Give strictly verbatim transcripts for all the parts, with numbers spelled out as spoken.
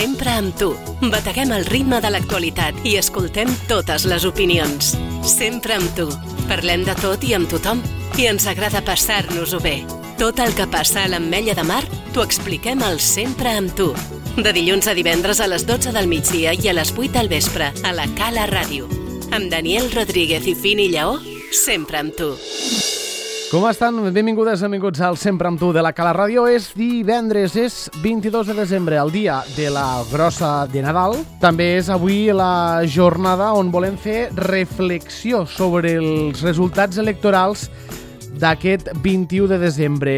Sempre amb tu. Bateguem el ritme de l'actualitat i escoltem totes les opinions. Sempre amb tu. Parlem de tot i amb tothom. I ens agrada passar-nos-ho bé. Tot el que passa a l'Ametlla de Mar t'ho expliquem al Sempre amb tu. De dilluns a divendres a les dotze del migdia i a les vuit del vespre a la Cala Ràdio. Amb Daniel Rodríguez i Fini Lleó, sempre amb tu. Com estan? Benvingudes, benvinguts al Sempre amb tu de la Cala Ràdio. És divendres, és vint-i-dos de desembre, el dia de la grossa de Nadal. També és avui la jornada on volem fer reflexió sobre els resultats electorals d'aquest vint-i-u de desembre.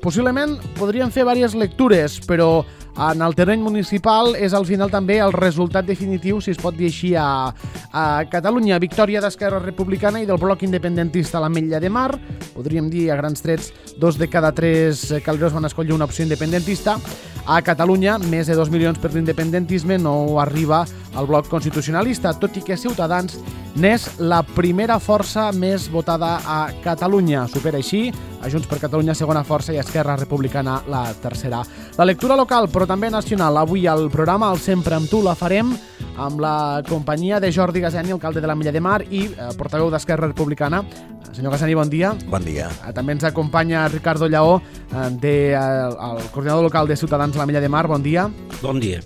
Possiblement podríem fer diverses lectures, però en el terreny municipal és al final també el resultat definitiu, si es pot dir així, a, a Catalunya. Victòria d'Esquerra Republicana i del bloc independentista a l'Ametlla de Mar. Podríem dir, a grans trets, dos de cada tres calderos van escollir una opció independentista. A Catalunya, més de dos milions per l'independentisme, no arriba al bloc constitucionalista, tot i que Ciutadans n'és la primera força més votada a Catalunya. Supera així a Junts per Catalunya, segona força, i Esquerra Republicana, la tercera. La lectura local, però també nacional. Avui al programa, el Sempre amb tu, la farem amb la companyia de Jordi Gasani, alcalde de l'Ametlla de Mar i eh, portaveu d'Esquerra Republicana. Senyor Gasani, bon dia. Bon dia. També ens acompanya Ricardo Lleó, eh, de, eh, el coordinador local de Ciutadans a l'Ametlla de Mar. Bon dia. Bon dia.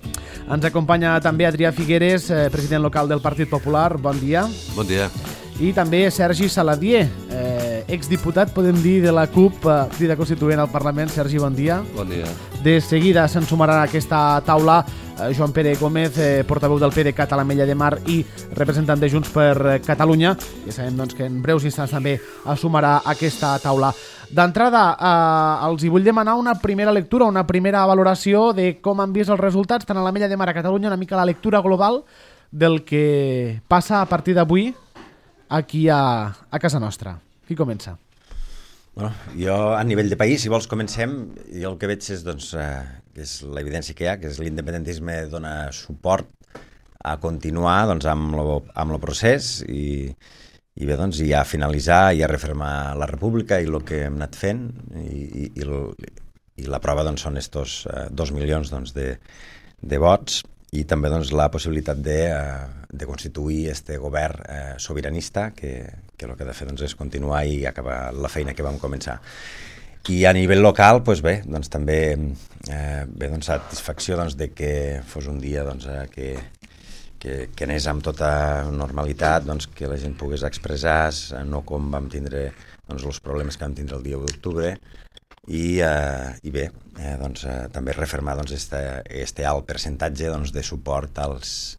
Ens acompanya també Adrià Figueres, eh, president local del Partit Popular. Bon dia. Bon dia. I també Sergi Saladier, eh, exdiputat, podem dir, de la CUP, eh, Crida Constituent al Parlament. Sergi, bon dia. Bon dia. De seguida se'n sumarà a aquesta taula eh, Joan Pere Gómez, eh, portaveu del PDeCAT a l'Ametlla de Mar i representant de Junts per Catalunya. Ja sabem doncs, que en breus instants també es sumarà a aquesta taula. D'entrada, eh, els hi vull demanar una primera lectura, una primera valoració de com han vist els resultats tant a l'Ametlla de Mar a Catalunya, una mica la lectura global del que passa a partir d'avui aquí a, a casa nostra. Qui comença? Bueno, jo, a nivell de país, si vols, comencem. Jo el que veig és, doncs, eh, que és l'evidència que hi ha, que és l'independentisme dona suport a continuar doncs, amb el amb lo procés i, i bé, doncs, i a finalitzar i a refermar la república i el que hem anat fent i, i, i, el, i la prova doncs, són estos eh, dos milions doncs, de, de vots i també doncs, la possibilitat de, eh, de constituir este govern eh, sobiranista que, que el que ha de fer doncs, és continuar i acabar la feina que vam començar. I a nivell local, doncs bé, doncs, també eh, bé, doncs, satisfacció doncs, de que fos un dia doncs, eh, que, que, que anés amb tota normalitat, doncs, que la gent pogués expressar, no com vam tindre doncs, els problemes que vam tindre el dia u d'octubre, i, eh, i bé, eh, doncs, eh, també refermar doncs, este, este alt percentatge doncs, de suport als,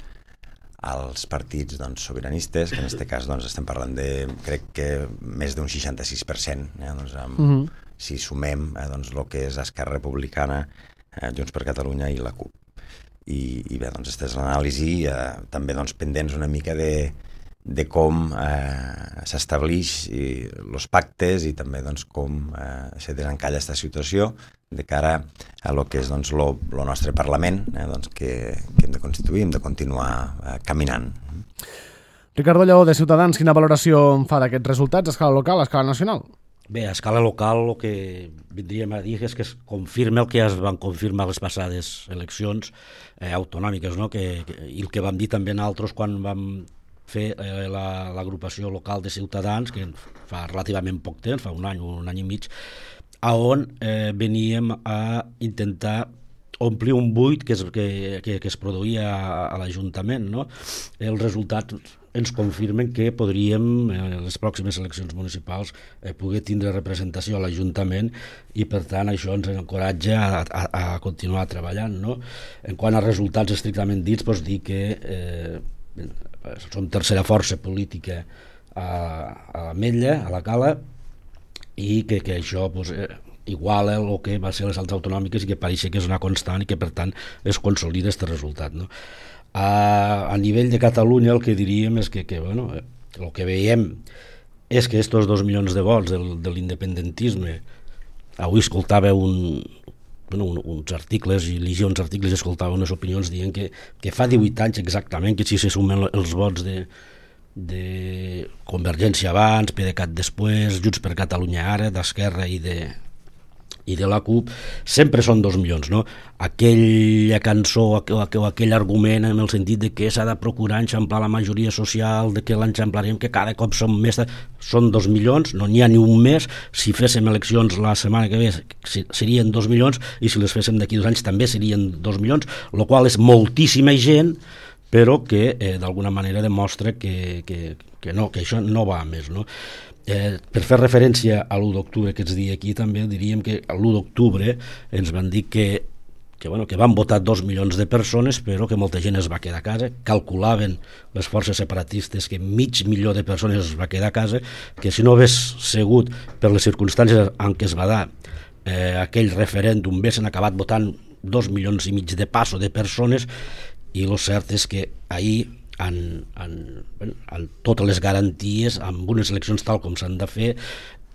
als partits doncs, sobiranistes, que en aquest cas doncs, estem parlant de, crec que més d'un seixanta-sis per cent, eh, doncs, amb, uh -huh. si sumem eh, doncs, el que és Esquerra Republicana, eh, Junts per Catalunya i la CUP. I, i bé, doncs, aquesta és l'anàlisi, eh, també doncs, pendents una mica de de com eh, s'establix els pactes i també doncs, com eh, se desencalla aquesta situació de cara a lo que és doncs, lo, lo nostre Parlament eh, doncs, que, que hem de constituir, hem de continuar eh, caminant. Ricardo Lleó, de Ciutadans, quina valoració en fa d'aquests resultats a escala local, a escala nacional? Bé, a escala local el que vindríem a dir és que es confirma el que ja es van confirmar les passades eleccions eh, autonòmiques, no? que, que, i el que vam dir també nosaltres quan vam fer eh, l'agrupació la, local de Ciutadans, que fa relativament poc temps, fa un any, un any i mig, a on eh, veníem a intentar omplir un buit que es, que, que, que es produïa a, a l'Ajuntament. No? Els resultats ens confirmen que podríem, en les pròximes eleccions municipals, eh, poder tindre representació a l'Ajuntament i, per tant, això ens encoratja a, a, a continuar treballant. No? En quant a resultats estrictament dits, doncs dir que eh, som tercera força política a, a l'Ametlla, a la Cala, i que, que això pues, eh, iguala el que va ser les altres autonòmiques i que pareix que és una constant i que per tant es consolida aquest resultat. No? A, a nivell de Catalunya el que diríem és que, que bueno, el que veiem és que estos dos milions de vots del, de l'independentisme, avui escoltava un, bueno, un, uns articles i llegia uns articles i escoltava unes opinions dient que, que fa divuit anys exactament que si se sumen els vots de de Convergència abans, PDeCAT després, Junts per Catalunya ara, d'Esquerra i de i de la CUP, sempre són dos milions, no? Aquella cançó o aquell argument en el sentit de que s'ha de procurar enxamplar la majoria social, de que l'enxamplarem, que cada cop som més... Són dos milions, no n'hi ha ni un mes. Si féssim eleccions la setmana que ve serien dos milions, i si les féssim d'aquí dos anys també serien dos milions, el qual és moltíssima gent, però que eh, d'alguna manera demostra que, que, que, no, que això no va a més, no? Eh, per fer referència a l'u d'octubre que ets dia aquí, també diríem que l'u d'octubre ens van dir que, que, bueno, que van votar dos milions de persones, però que molta gent es va quedar a casa. Calculaven les forces separatistes que mig milió de persones es va quedar a casa, que si no hagués sigut per les circumstàncies en què es va dar eh, aquell referèndum, haguessin acabat votant dos milions i mig de passo de persones, i el cert és que ahir En, en, en totes les garanties, amb unes eleccions tal com s'han de fer,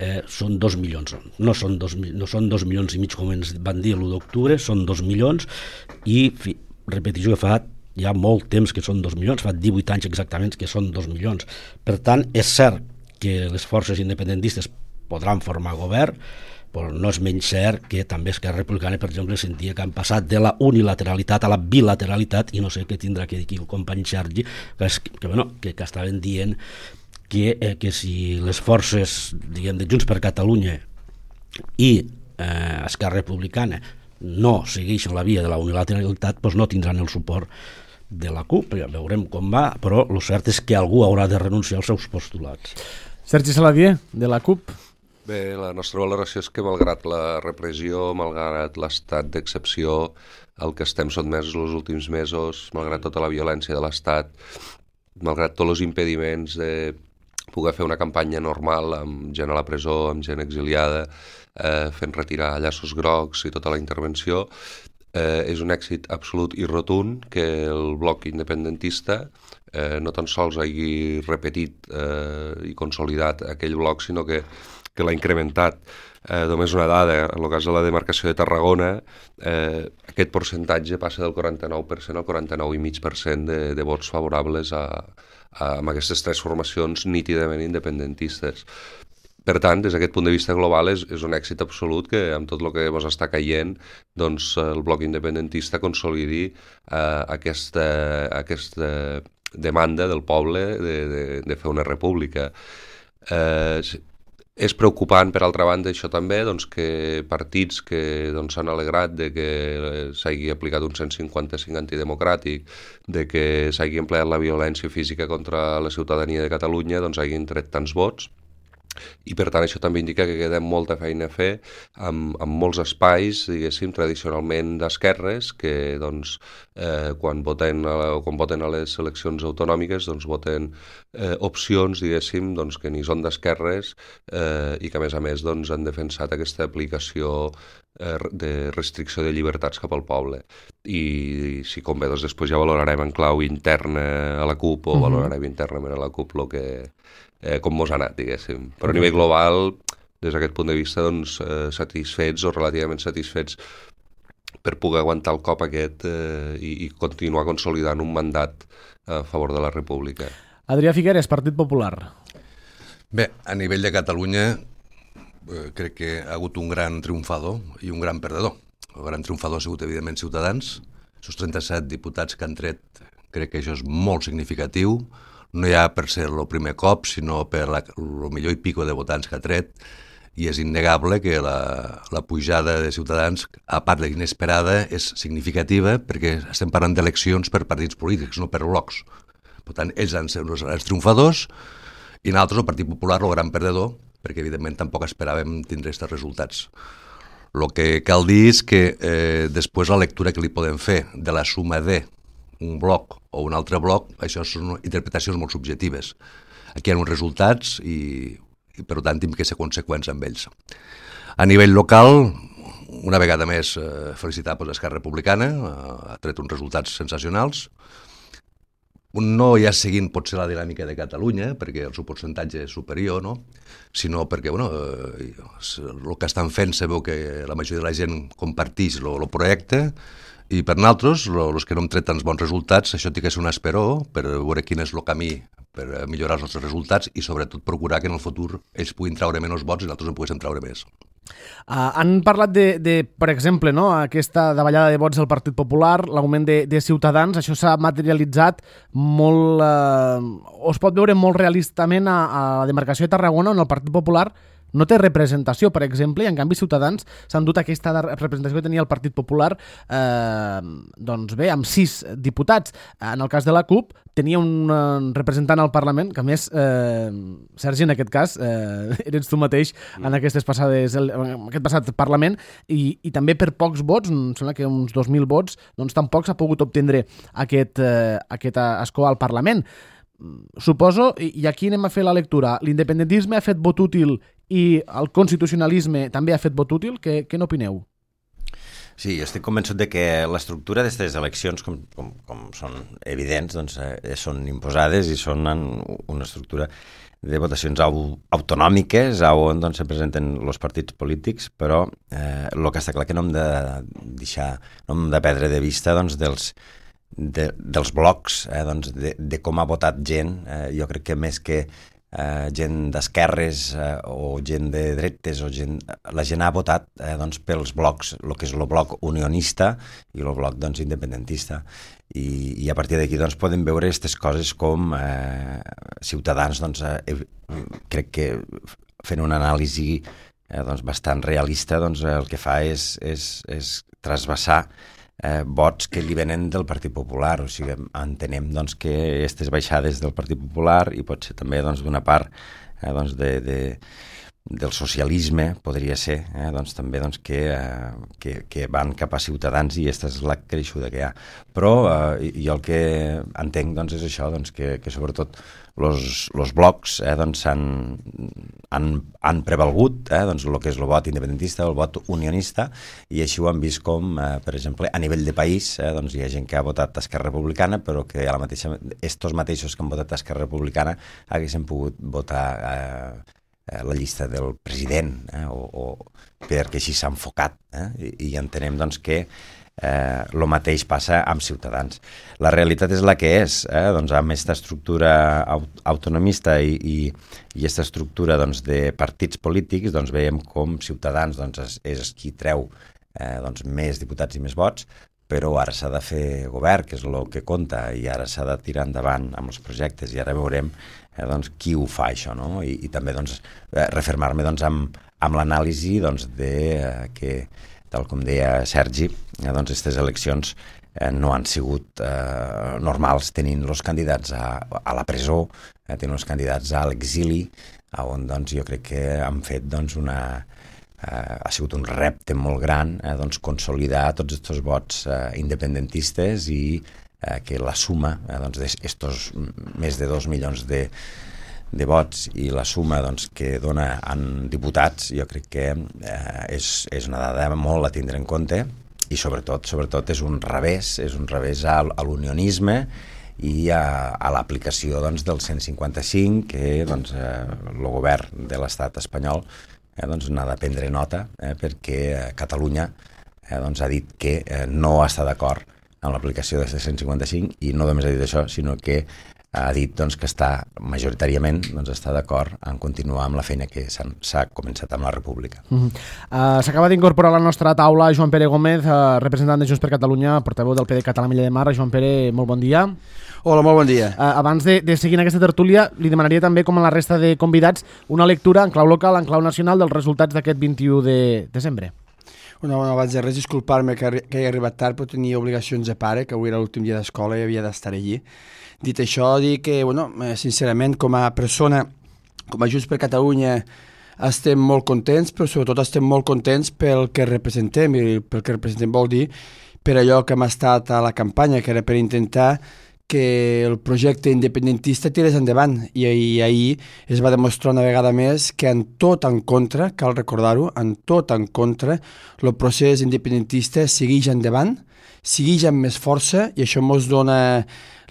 eh, són dos milions. No són dos, no són dos milions i mig com ens van dir l'u d'octubre, són dos milions, i fi, repetició que fa ja molt temps que són dos milions, fa divuit anys exactament que són dos milions. Per tant, és cert que les forces independentistes podran formar govern, però no és menys cert que també Esquerra Republicana, per exemple, sentia que han passat de la unilateralitat a la bilateralitat, i no sé què tindrà que dir aquí el company Sergi, que, és, que, bueno, que, que estaven dient que, eh, que si les forces, diguem, de Junts per Catalunya i eh, Esquerra Republicana no segueixen la via de la unilateralitat, doncs no tindran el suport de la CUP. Ja veurem com va, però el cert és que algú haurà de renunciar als seus postulats. Sergi Saladier, de la CUP. Bé, la nostra valoració és que malgrat la repressió, malgrat l'estat d'excepció al que estem sotmesos els últims mesos, malgrat tota la violència de l'estat, malgrat tots els impediments de poder fer una campanya normal amb gent a la presó, amb gent exiliada, eh, fent retirar llaços grocs i tota la intervenció, eh, és un èxit absolut i rotund que el bloc independentista eh, no tan sols hagi repetit eh, i consolidat aquell bloc, sinó que que l'ha incrementat. Eh, només una dada, en el cas de la demarcació de Tarragona, eh, aquest percentatge passa del quaranta-nou per cent al quaranta-nou coma cinc per cent de, de vots favorables a, a, a aquestes tres formacions nítidament independentistes. Per tant, des d'aquest punt de vista global, és, és un èxit absolut que amb tot el que ens està caient, doncs, el bloc independentista consolidi eh, aquesta, aquesta demanda del poble de, de, de fer una república. Eh, És preocupant, per altra banda, això també, doncs, que partits que doncs, s'han alegrat de que s'hagi aplicat un cent cinquanta-cinc antidemocràtic, de que s'hagi empleat la violència física contra la ciutadania de Catalunya, doncs hagin tret tants vots. I per tant això també indica que queda molta feina a fer amb, amb molts espais, diguéssim, tradicionalment d'esquerres, que doncs, eh, quan, voten a, quan voten a les eleccions autonòmiques doncs voten eh, opcions, diguéssim, doncs, que ni són d'esquerres eh, i que a més a més doncs, han defensat aquesta aplicació eh, de restricció de llibertats cap al poble. I si convé, doncs, després ja valorarem en clau interna a la CUP o uh-huh. valorarem internament a la CUP el que... Eh, com mos ha anat, diguéssim. Però a nivell global, des d'aquest punt de vista, doncs, eh, satisfets o relativament satisfets per poder aguantar el cop aquest eh, i, i continuar consolidant un mandat a favor de la República. Adrià Figueres, Partit Popular. Bé, a nivell de Catalunya eh, crec que ha hagut un gran triomfador i un gran perdedor. El gran triomfador ha sigut, evidentment, Ciutadans. Els trenta-set diputats que han tret, crec que això és molt significatiu. No ja per ser el primer cop, sinó per la, el millor i pico de votants que ha tret, i és innegable que la, la pujada de Ciutadans, a part d'inesperada, és significativa perquè estem parlant d'eleccions per partits polítics, no per blocs. Per tant, ells han sigut els triomfadors i nosaltres, el Partit Popular, el gran perdedor, perquè evidentment tampoc esperàvem tindre aquests resultats. El que cal dir és que eh, després la lectura que li podem fer de la suma de un bloc o un altre bloc, això són interpretacions molt subjectives. Aquí hi ha uns resultats i, i per tant hem que ser conseqüents amb ells. A nivell local, una vegada més eh, felicitar pues, l'Esquerra Republicana, eh, ha tret uns resultats sensacionals. No ja seguint potser la dinàmica de Catalunya, perquè el seu percentatge és superior, no? Sinó perquè bueno, eh, el que estan fent se veu que la majoria de la gent comparteix el projecte I per nosaltres, els que no hem tret tants bons resultats, això té que ser un esperó per veure quin és el camí per millorar els nostres resultats i sobretot procurar que en el futur ells puguin treure menys vots i nosaltres en poguéssim treure més. Uh, han parlat de, de, per exemple, no, aquesta davallada de vots del Partit Popular, l'augment de, de Ciutadans, això s'ha materialitzat molt, uh, o es pot veure molt realistament a, a la demarcació de Tarragona, on el Partit Popular no té representació, per exemple, i en canvi Ciutadans s'han dut aquesta representació que tenia el Partit Popular, eh, doncs bé, amb sis diputats. En el cas de la CUP tenia un representant al Parlament, que a més, eh, Sergi, en aquest cas, eh, eres tu mateix en aquestes passades, en aquest passat Parlament, i, i també per pocs vots, em sembla que uns dos mil vots, doncs tampoc s'ha pogut obtindre aquest, eh, aquest escó al Parlament. Suposo, i aquí anem a fer la lectura, l'independentisme ha fet vot útil i el constitucionalisme també ha fet vot útil. Què, què n'opineu? Sí, jo estic convençut de que l'estructura d'aquestes eleccions, com, com, com són evidents, doncs, eh, són imposades i són una estructura de votacions au, autonòmiques on doncs, se presenten els partits polítics, però eh, el que està clar que no hem de deixar, no hem de perdre de vista doncs, dels De, dels blocs, eh, doncs de, de com ha votat gent. Eh, jo crec que més que eh, gent d'esquerres eh, o gent de dretes, o gent, la gent ha votat eh, doncs, pels blocs, el que és el bloc unionista i el bloc doncs, independentista. I, i a partir d'aquí doncs, podem veure aquestes coses com eh, Ciutadans, doncs, eh, crec que fent una anàlisi eh, doncs, bastant realista, doncs, el que fa és, és, és trasbassar Eh, vots que li venen del Partit Popular, o sigui, entenem doncs, que aquestes baixades del Partit Popular i potser també doncs, d'una part eh, doncs, de, de, del socialisme, podria ser, eh, doncs, també doncs, que, eh, que, que van cap a Ciutadans i aquesta és la creixuda que hi ha. Però eh, jo el que entenc doncs, és això, doncs, que, que sobretot els blocs eh, doncs, han, han, han prevalgut eh, doncs, el que és el vot independentista, el vot unionista, i així ho han vist com, eh, per exemple, a nivell de país, eh, doncs, hi ha gent que ha votat Esquerra Republicana, però que a la mateixa, estos mateixos que han votat Esquerra Republicana haguessin pogut votar eh, la llista del president, eh, o, o perquè així s'ha enfocat, eh, i, i entenem doncs, que Eh, el mateix passa amb Ciutadans. La realitat és la que és, eh? doncs, amb aquesta estructura aut autonomista i, i, i aquesta estructura doncs, de partits polítics, doncs, veiem com Ciutadans doncs, és, és qui treu eh, doncs, més diputats i més vots, però ara s'ha de fer govern, que és el que compta, i ara s'ha de tirar endavant amb els projectes, i ara veurem eh, doncs, qui ho fa això, no? I, i també doncs, eh, refermar-me doncs, amb, amb l'anàlisi doncs, de eh, que tal com deia Sergi, eh, doncs aquestes eleccions eh, no han sigut eh, normals, tenint els candidats a, a la presó, eh, tenint els candidats a l'exili, on doncs, jo crec que han fet doncs, una, eh, ha sigut un repte molt gran eh, doncs, consolidar tots aquests vots eh, independentistes i eh, que la suma eh, doncs, d'estos més de dos milions de de vots i la suma doncs, que dona en diputats, jo crec que eh, és, és una dada molt a tindre en compte, i sobretot sobretot és un revés, és un revés a, a l'unionisme i a, a l'aplicació doncs, del cent cinquanta cinc, que doncs, eh, el govern de l'estat espanyol eh, doncs, n'ha de prendre nota, eh, perquè Catalunya eh, doncs, ha dit que eh, no està d'acord amb l'aplicació del cent cinquanta cinc, i no només ha dit això, sinó que ha dit doncs, que està majoritàriament doncs, està d'acord en continuar amb la feina que s'ha començat amb la República. Uh -huh. uh, S'acaba d'incorporar a la nostra taula Joan Pere Gómez, uh, representant de Junts per Catalunya, portaveu del P D Català Milla de Mar. Joan Pere, molt bon dia. Hola, molt bon dia. Uh, abans de, de seguir en aquesta tertúlia, li demanaria també, com a la resta de convidats, una lectura en clau local, en clau nacional, dels resultats d'aquest vint-i-u de desembre. Una bona, abans de res, disculpar-me que, que he arribat tard, però tenia obligacions de pare, que avui era l'últim dia d'escola i havia d'estar allí. Dit això, dic que, bueno, sincerament, com a persona, com a Junts per Catalunya, estem molt contents, però sobretot estem molt contents pel que representem, i pel que representem vol dir per allò que hem estat a la campanya, que era per intentar que el projecte independentista tirés endavant, i, i ahir es va demostrar una vegada més que en tot en contra, cal recordar-ho, en tot en contra, el procés independentista segueix endavant, segueix amb més força, i això ens dona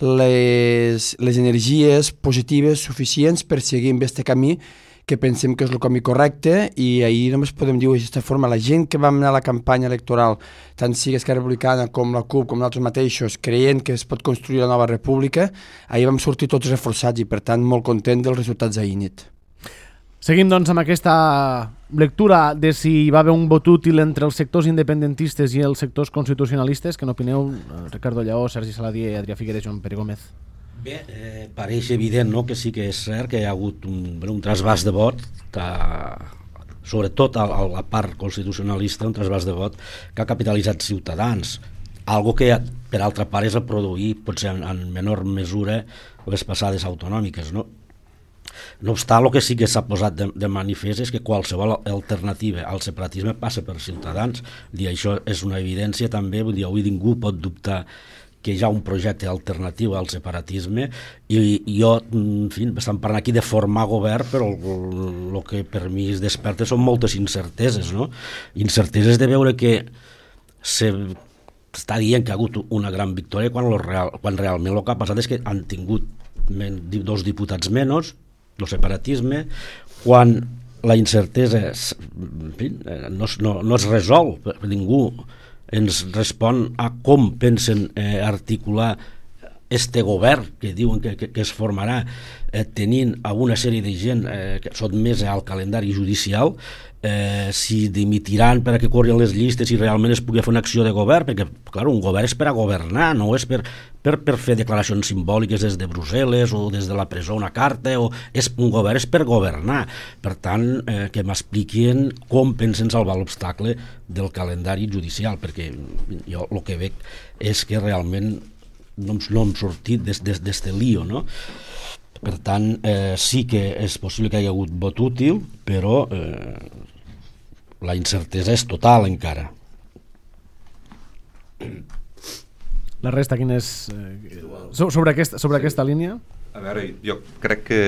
les, les energies positives suficients per seguir amb aquest camí que pensem que és el camí correcte, i ahir només podem dir d'aquesta forma, la gent que vam anar a la campanya electoral, tant sigui Esquerra Republicana com la CUP, com nosaltres mateixos, creient que es pot construir la nova república, ahir vam sortir tots reforçats i, per tant, molt content dels resultats d'ahir nit. Seguim, doncs, amb aquesta lectura de si hi va haver un vot útil entre els sectors independentistes i els sectors constitucionalistes. Què n'opineu, Ricardo Lleó, Sergi Saladier, Adrià Figueres i Joan Pere Gómez? Bé, eh, pareix evident, no?, que sí que és cert que hi ha hagut un, un trasbàs de vot, que, sobretot a, a la part constitucionalista, un trasbàs de vot que ha capitalitzat Ciutadans, algo que per altra part és a produir potser en, en menor mesura les passades autonòmiques, no? No obstant, el que sí que s'ha posat de, de manifest és que qualsevol alternativa al separatisme passa per Ciutadans, i això és una evidència també, vull dir, avui ningú pot dubtar que hi ha un projecte alternatiu al separatisme, i, i jo, en fi, estem parlant aquí de formar govern, però el, el que per mi es desperta són moltes incerteses, no? Incerteses de veure que se està dient que ha hagut una gran victòria quan, lo real, quan realment el que ha passat és que han tingut men, dos diputats menys, el separatisme, quan la incertesa en fi, no, no, no es resol, ningú ens respon a com pensen eh, articular este govern que diuen que, que, que es formarà eh, tenint a una sèrie de gent eh, que sotmesa al calendari judicial, eh, si dimitiran per a que corrin les llistes i realment es pugui fer una acció de govern, perquè clar, un govern és per a governar, no és per, per, per fer declaracions simbòliques des de Brussel·les o des de la presó una carta, o és, un govern és per governar. Per tant, eh, que m'expliquin com pensen salvar l'obstacle del calendari judicial, perquè jo el que veig és que realment no hem, no hem sortit d'este lío, no? Per tant, eh, sí que és possible que hi hagi hagut vot útil, però eh, la incertesa és total encara. La resta, quin és... Eh, sobre, aquesta, sobre aquesta línia? A veure, jo crec que,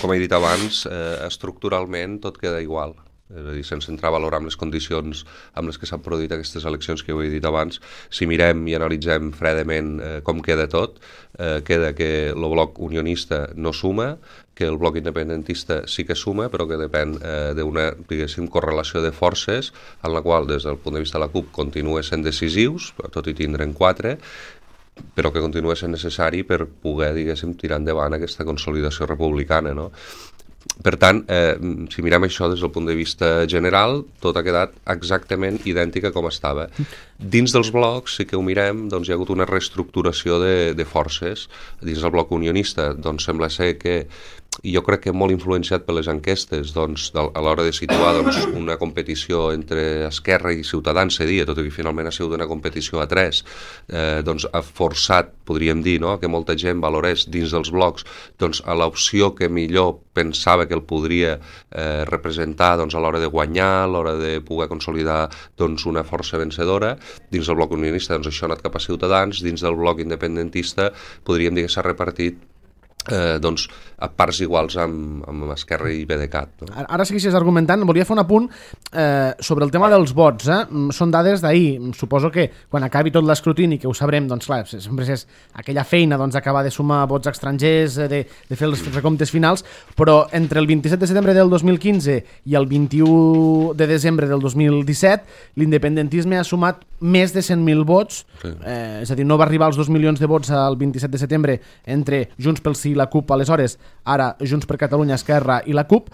com he dit abans, eh, estructuralment tot queda igual. És a dir, sense entrar a valorar amb les condicions amb les que s'han produït aquestes eleccions que ho he dit abans, si mirem i analitzem fredament eh, com queda tot, eh, queda que el bloc unionista no suma, que el bloc independentista sí que suma, però que depèn eh, d'una, diguéssim, correlació de forces en la qual, des del punt de vista de la CUP, continua sent decisius, tot i tindre'n quatre, però que continua sent necessari per poder, diguéssim, tirar endavant aquesta consolidació republicana, no? Per tant, eh, si mirem això des del punt de vista general, tot ha quedat exactament idèntica com estava. Dins dels blocs, sí que ho mirem, doncs hi ha hagut una reestructuració de, de forces. Dins del bloc unionista, doncs sembla ser que, i jo crec que molt influenciat per les enquestes, doncs, a l'hora de situar doncs, una competició entre Esquerra i Ciutadans, se dia, tot i que finalment ha sigut una competició a tres, eh, doncs ha forçat, podríem dir, no?, que molta gent valorés dins dels blocs doncs, a l'opció que millor pensava que el podria eh, representar doncs, a l'hora de guanyar, a l'hora de poder consolidar doncs, una força vencedora. Dins del bloc unionista doncs, això ha anat cap a Ciutadans, dins del bloc independentista podríem dir que s'ha repartit Eh, doncs, a parts iguals amb, amb Esquerra i B D C A T. No? Ara segueixes argumentant, volia fer un apunt eh, sobre el tema dels vots. Eh? Són dades d'ahir. Suposo que quan acabi tot l'escrutini, que ho sabrem, doncs clar, sempre és aquella feina doncs, d'acabar de sumar vots estrangers, de, de fer els recomptes finals, però entre el vint-i-set de setembre del dos mil quinze i el vint-i-u de desembre del dos mil disset, l'independentisme ha sumat més de cent mil vots, sí. eh, és a dir, no va arribar als dos milions de vots al vint-i-set de setembre entre Junts pel Sí i la CUP aleshores, ara Junts per Catalunya, Esquerra i la CUP,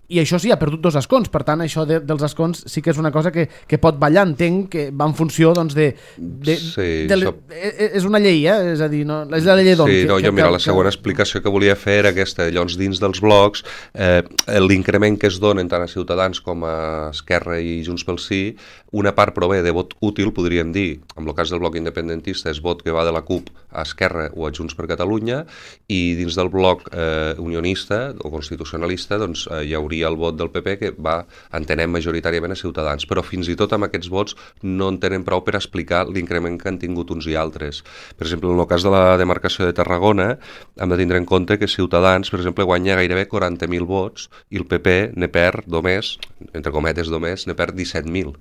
i això sí, ha perdut dos escons, per tant això de, dels escons sí que és una cosa que, que pot ballar, entenc que va en funció doncs de... de, sí, de le, això... és una llei, eh? És a dir, no, és la llei d'on. Sí, que, no, que, jo mira, que, la segona que... explicació que volia fer era aquesta, llavors dins dels blocs, eh, l'increment que es donen tant a Ciutadans com a Esquerra i Junts pel Sí, una part prové de vot útil, podríem dir, en el cas del bloc independentista és vot que va de la CUP a Esquerra o a Junts per Catalunya, i dins del bloc eh, unionista o constitucionalista doncs eh, hi hauria el vot del P P que va, entenem, majoritàriament a Ciutadans, però fins i tot amb aquests vots no en tenen prou per explicar l'increment que han tingut uns i altres. Per exemple, en el cas de la demarcació de Tarragona, hem de tindre en compte que Ciutadans, per exemple, guanya gairebé quaranta mil vots i el P P ne perd només, entre cometes només, ne perd disset mil.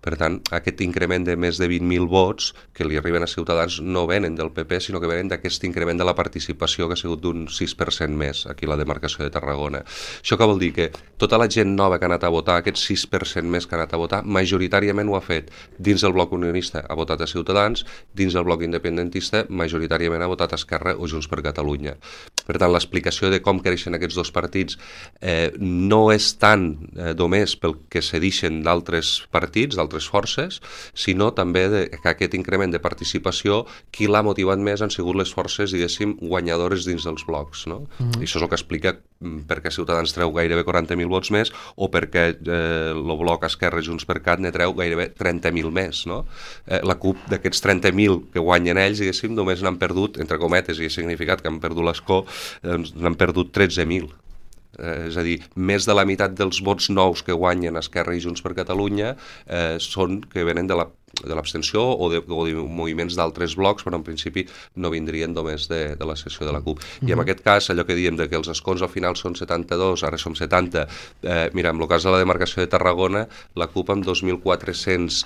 Per tant, aquest increment de més de vint mil vots que li arriben a Ciutadans no venen del P P, sinó que venen d'aquest increment de la participació que ha sigut d'un sis per cent més aquí a la demarcació de Tarragona. Això què vol dir? Que tota la gent nova que ha anat a votar, aquest sis per cent més que ha anat a votar, majoritàriament ho ha fet dins del bloc unionista, ha votat a Ciutadans, dins del bloc independentista, majoritàriament ha votat a Esquerra o Junts per Catalunya. Per tant, l'explicació de com creixen aquests dos partits eh, no és tant eh, només pel que cedixen d'altres partits, d'altres forces, sinó també de, que aquest increment de participació, qui l'ha motivat més han sigut les forces, diguéssim, guanyadores dins dels blocs. No? Mm-hmm. I això és el que explica per què Ciutadans treu gairebé quaranta mil vots més o perquè eh, el bloc Esquerra Junts per Cat ne treu gairebé trenta mil més. No? Eh, la CUP d'aquests trenta mil que guanyen ells, diguéssim, només n'han perdut, entre cometes, i ha significat que han perdut l'escó, doncs n'han perdut tretze mil. Eh, és a dir, més de la meitat dels vots nous que guanyen Esquerra i Junts per Catalunya eh, són que venen de la de l'abstenció o, de, o de moviments d'altres blocs, però en principi no vindrien només de, de la secció de la CUP. Mm-hmm. I en aquest cas, allò que diem de que els escons al final són setanta-dos, ara som setanta, eh, mira, en el cas de la demarcació de Tarragona, la CUP amb dos mil quatre-cents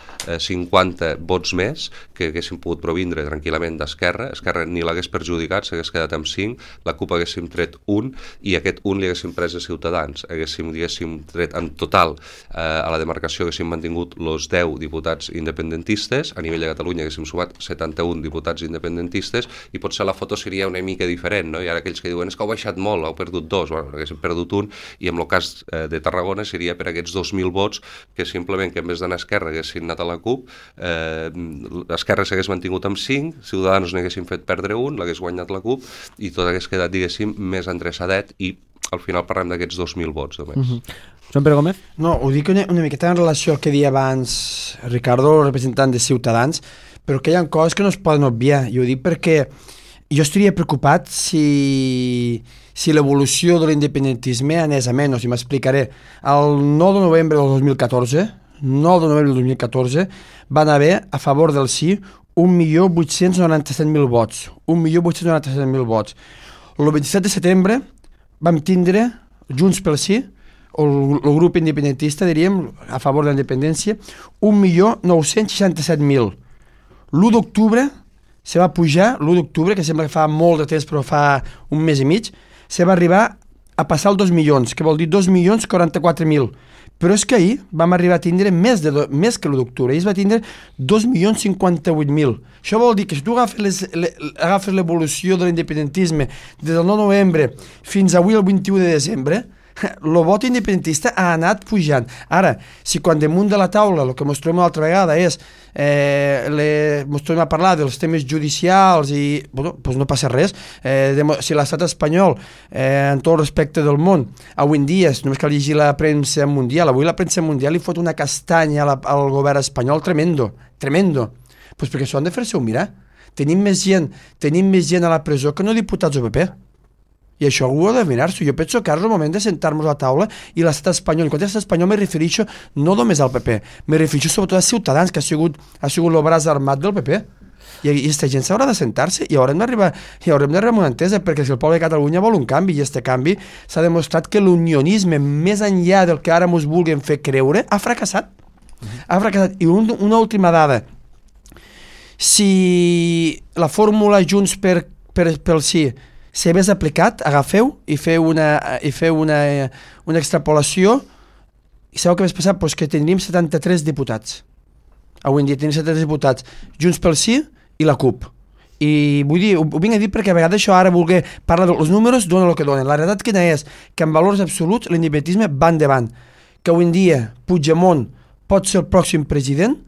cinquanta vots més, que haguessin pogut provindre tranquil·lament d'Esquerra, Esquerra ni l'hagués perjudicat, s'hagués quedat amb cinc, la CUP haguéssim tret un, i aquest un li haguéssim pres a Ciutadans, haguéssim, diguéssim, tret en total eh, a la demarcació haguéssim mantingut els deu diputats independents, a nivell de Catalunya haguéssim sumat setanta-un diputats independentistes i potser la foto seria una mica diferent, no? I ara aquells que diuen és que heu baixat molt, heu perdut dos, bueno, haguéssim perdut un, i en el cas eh, de Tarragona seria per aquests dos mil vots que simplement que en vez d'anar a Esquerra haguessin anat a la CUP, eh, Esquerra s'hagués mantingut amb cinc, Ciutadans n'haguessin fet perdre un, l'hagués guanyat la CUP i tot hagués quedat, diguéssim, més endreçadet i al final parlem d'aquests dos mil vots només. Mm-hmm. Joan Pere Gómez? No, ho dic una, una miqueta en relació al que deia abans Ricardo, representant de Ciutadans, però que hi ha coses que no es poden obviar, i ho dic perquè jo estaria preocupat si, si l'evolució de l'independentisme anés a menys, i m'explicaré. El nou de novembre del dos mil catorze, nou de novembre del dos mil catorze, van haver a favor del sí un milió vuit-cents noranta-set mil vots, un milió vuit-cents noranta-set mil vots. El vint-i-set de setembre vam tindre Junts pel Sí, o el grup independentista, diríem, a favor de la independència, un milió nou-cents seixanta-set mil. L'u d'octubre se va pujar, l'u d'octubre, que sembla que fa molt de temps, però fa un mes i mig, se va arribar a passar els dos milions, que vol dir dos milions quaranta-quatre mil. Però és que ahir vam arribar a tindre més, de do, més que l'u d'octubre, ahir es va tindre dos milions cinquanta-vuit mil. Això vol dir que si tu agafes, les, le, agafes l'evolució de l'independentisme des del nou de novembre fins avui el vint-i-u de desembre, el vot independentista ha anat pujant. Ara, si quan damunt de la taula el que ens trobem una altra vegada és eh, ens trobem a parlar dels temes judicials i bueno, doncs no passa res, eh, de, si l'estat espanyol eh, en tot el respecte del món avui en dia, només cal llegir la premsa mundial, avui la premsa mundial li fot una castanya a la, al govern espanyol tremendo, tremendo, pues perquè s'ho han de fer-se-ho mirar. Tenim més gent, tenim més gent a la presó que no diputats del P P. I això ho ha de mirar-s'ho. Jo penso que ara és el moment de sentar-nos a la taula i l'estat espanyol, i quan l'estat espanyol me refereixo no només al P P, me refereixo sobretot a Ciutadans, que ha sigut, ha sigut el braç armat del P P. I aquesta gent s'haurà de sentar-se i haurem d'arribar i haurem d'arribar a una entesa, perquè si el poble de Catalunya vol un canvi, i aquest canvi s'ha demostrat que l'unionisme, més enllà del que ara ens vulguin fer creure, ha fracassat. Uh-huh. Ha fracassat. I un, una última dada. Si la fórmula Junts per, per, pel sí s'hagués aplicat, agafeu i feu una, i feu una, una extrapolació, i sabeu què més passat? Pues que tindríem setanta-tres diputats. Avui en dia tenim setanta-tres diputats, Junts pel Sí i la CUP. I vull dir, ho, ho vinc a dir perquè a vegades això ara voler parlar dels números dona el que donen. La realitat quina és? Que en valors absoluts l'independentisme va endavant. Que avui en dia Puigdemont pot ser el pròxim president,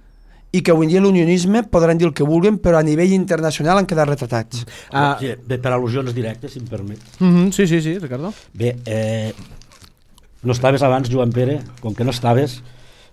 i que avui en dia l'unionisme podran dir el que vulguin, però a nivell internacional han quedat retratats. Uh, sí, bé, per al·lusions directes, si em permet. Mm-hmm, sí, sí, sí, Ricardo. Bé, eh, no estaves abans, Joan Pere, com que no estaves,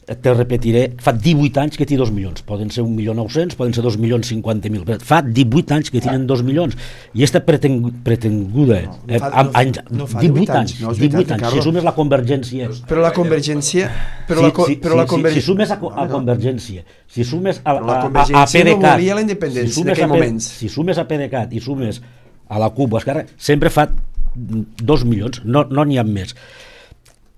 te repetiré, fa divuit anys que té dos milions, poden ser un milió nou-cents, poden ser dos milions cinquanta mil, fa divuit anys que tenen dos milions, i aquesta preteng, pretenguda, no, no fa, eh, anys, no fa divuit anys, no divuit anys, si sumes la convergència... Però la convergència... Però si, la, si, però la si, converg... si, si sumes a, a convergència, si sumes a, a, a, a, a PDeCAT... no volia la independència si en aquell moments. Si sumes a PDeCAT i sumes a la CUP o a Esquerra, sempre fa dos milions, no n'hi no ha més.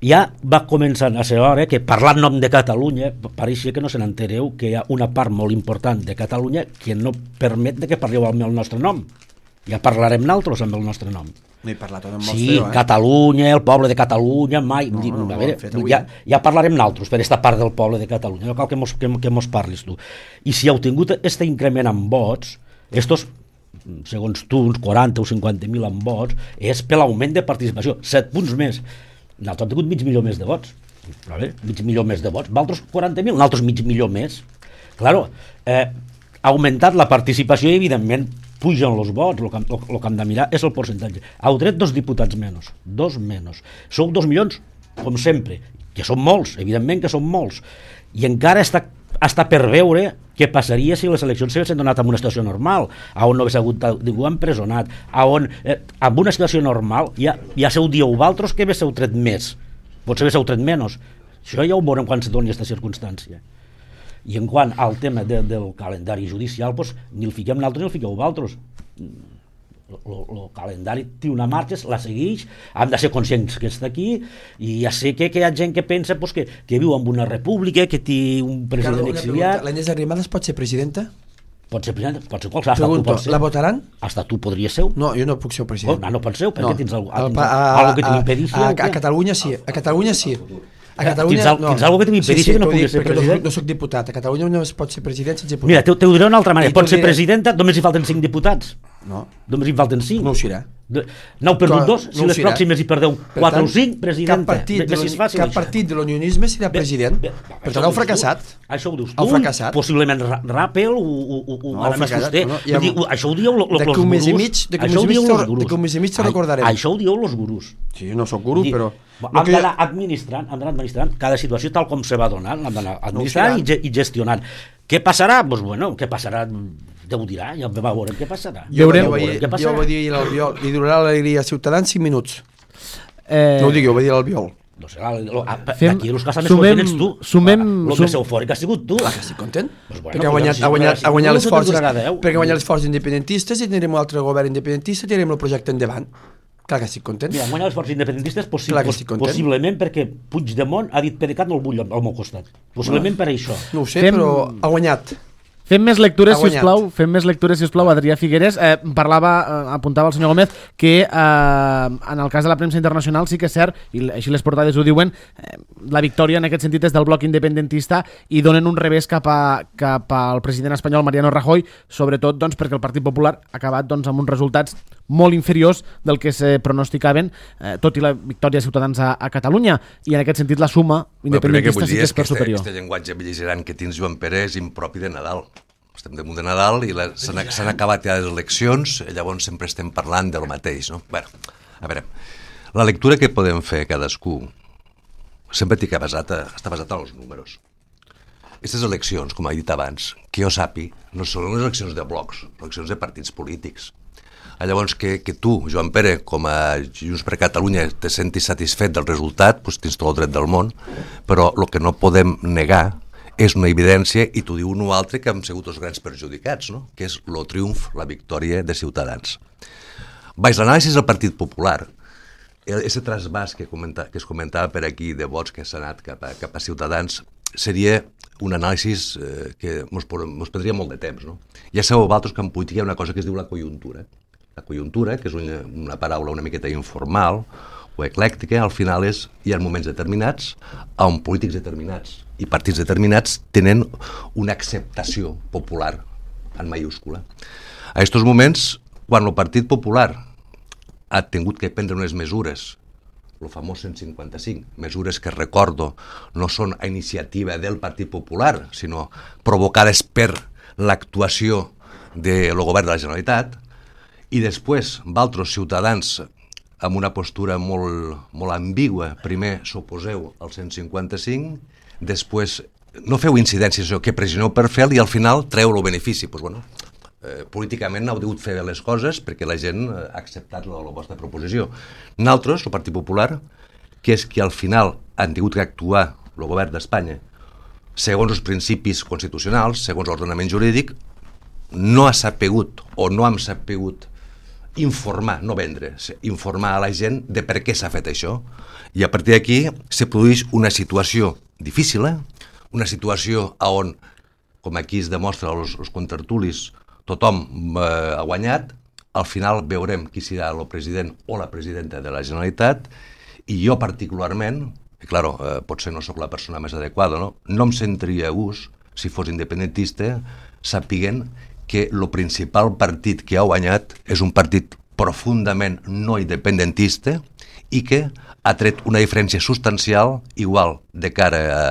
ja va començar a ser hora que, parlant nom de Catalunya, pareixia que no se n'entereu que hi ha una part molt important de Catalunya que no permet de que parleu amb el nostre nom. Ja parlarem nosaltres amb el nostre nom. No he parlat amb Sí, feo, eh? Catalunya, el poble de Catalunya, mai... No, no, no, a veure, ja, ja parlarem nosaltres per aquesta part del poble de Catalunya, no cal que mos, que, que mos parlis tu. I si heu tingut aquest increment en vots, estos, segons tu, uns quaranta o cinquanta mil en vots, és per l'augment de participació, set punts més. Nosaltres hem tingut mig milió més de vots, vale? mig milió més de vots, vosaltres quaranta mil, nosaltres mig milió més. Claro, eh, ha augmentat la participació i, evidentment, pugen els vots, el que, el, el que hem de mirar és el percentatge. Heu tret dos diputats menys, dos menys. Sou dos milions, com sempre, que són molts, evidentment que són molts, i encara està, està per veure què passaria si les eleccions s'haguessin donat en una situació normal, on no hagués hagut ningú empresonat, on, eh, en una situació normal ja, ja seu dieu vosaltres que haguéssiu tret més, potser haguéssiu tret menys. Això ja ho veurem quan se doni aquesta circumstància. I en quant al tema de, del calendari judicial, doncs, ni el fiquem nosaltres ni el fiqueu vosaltres. El calendari té una marxa, la segueix, hem de ser conscients que està aquí, i ja sé que, que hi ha gent que pensa pues, que, que viu en una república, que té un president Ricardo, exiliat... L'Agnès Arrimadas pot ser presidenta? Pot ser presidenta, pot ser qualsevol. Pregunto, tu la votaran? Hasta tu podries ser. No, jo no puc ser president. Oh, no pot ser, perquè no. tens algú, a, tens a, algo que t'impedeixi. A, a, a Catalunya sí, a Catalunya sí. A Catalunya, tens, no. tens alguna cosa que t'impedeixi sí, sí, que no pugui ser president? No, no soc diputat. A Catalunya no es pot ser president sense diputat. Mira, te, te ho diré d'una altra manera. Pot ser presidenta, només hi falten cinc diputats. No. Només hi falten cinc. No ho serà. N'heu perdut dos, si no les pròximes hi perdeu quatre o cinc, presidenta. Cap partit, de, fàcil, cap partit de l'unionisme serà president. Bé, bé, per tant, heu fracassat. Tu. Això ho dius tu. Heu fracassat. Possiblement Rappel o, o, o, o no, Aramis Fuster. No, ja, diu, això ho dieu los gurus. D'aquí un mes i mig, d'aquí un mes i mig te recordarem. Això ho dieu los gurus. Sí, no sóc guru, però... Hem d'anar administrant, hem d'anar administrant cada situació tal com se va donant, hem d'anar administrant i, i gestionant. Què passarà? Doncs bueno, què passarà? Déu dirà, ja veurem què passarà. Jo ho vaig dir a l'Albiol, li durarà l'alegria als ciutadans cinc minuts. Eh... No ho digui, ho va dir a l'Albiol. No sé, d'aquí els que estan més contents ets tu. Sumem... El més eufòric ha sigut tu. Clar que estic content. Perquè ha guanyat, ha guanyat, ha guanyat les forces, perquè ha guanyat les forces independentistes i tindrem un altre govern independentista i tindrem el projecte endavant. Clar que estic content. Mira, guanyar les forces independentistes possible, possiblement perquè Puigdemont ha dit PDeCAT no el vull al meu costat. Possiblement per això. No ho sé, Fem... però ha guanyat. Fem més lectures, si us plau. Fem més lectures, si us plau, Adrià Figueres. Eh, parlava, eh, apuntava el senyor Gómez, que eh, en el cas de la premsa internacional sí que és cert, i així les portades ho diuen, eh, la victòria en aquest sentit és del bloc independentista i donen un revés cap, a, cap al president espanyol Mariano Rajoy, sobretot doncs, perquè el Partit Popular ha acabat doncs, amb uns resultats molt inferiors del que se pronosticaven, eh, tot i la victòria de Ciutadans a, a Catalunya, i en aquest sentit la suma independentista sí que és per este, superior. Este llenguatge bel·ligerant que tens Joan Pere és impropi de Nadal. Estem damunt de Nadal i s'han acabat ja les eleccions, llavors sempre estem parlant del mateix, no? Bé, a veure, la lectura que podem fer cadascú sempre té que basat a, està basat en els números. Aquestes eleccions, com he dit abans, que jo sàpi, no són les eleccions de blocs, eleccions de partits polítics. Llavors, que, que tu, Joan Pere, com a Junts per Catalunya, te sentis satisfet del resultat, doncs tens tot el dret del món, però el que no podem negar és una evidència, i t'ho diu un o altre que hem sigut els grans perjudicats, no? Que és el triomf, la victòria de Ciutadans. Baix l'anàlisi del Partit Popular, aquest trasbàs que, comenta, que es comentava per aquí de vots que s'ha anat cap a, cap a Ciutadans, seria un anàlisi eh, que ens prendria molt de temps, no? Ja sabeu vosaltres que en política hi ha una cosa que es diu la conjuntura. La conjuntura, que és una, una paraula una miqueta informal o eclèctica, al final és, hi ha moments determinats on polítics determinats i partits determinats tenen una acceptació popular en mayúscula. A aquests moments, quan el Partit Popular ha tingut que prendre unes mesures, el famós cent cinquanta-cinc, mesures que recordo no són a iniciativa del Partit Popular, sinó provocades per l'actuació del govern de la Generalitat, i després, valtros ciutadans amb una postura molt, molt ambigua, primer s'oposeu al cent cinquanta-cinc, després no feu incidències, que pressioneu per fer i al final treu el benefici. Pues, bueno, eh, políticament no heu degut fer les coses perquè la gent ha acceptat la, la vostra proposició. Nosaltres, el Partit Popular, que és que al final han tingut que actuar el govern d'Espanya segons els principis constitucionals, segons l'ordenament jurídic, no ha sapigut o no hem sapigut informar, no vendre, informar a la gent de per què s'ha fet això. I a partir d'aquí se produeix una situació difícil, eh? Una situació on, com aquí es demostra als, als contertulis, tothom eh, ha guanyat, al final veurem qui serà el president o la presidenta de la Generalitat, i jo particularment, i clar, eh, potser no sóc la persona més adequada, no, no em sentiria a gust, si fos independentista, sapiguent que el principal partit que ha guanyat és un partit profundament no independentista i que ha tret una diferència substancial igual de cara a,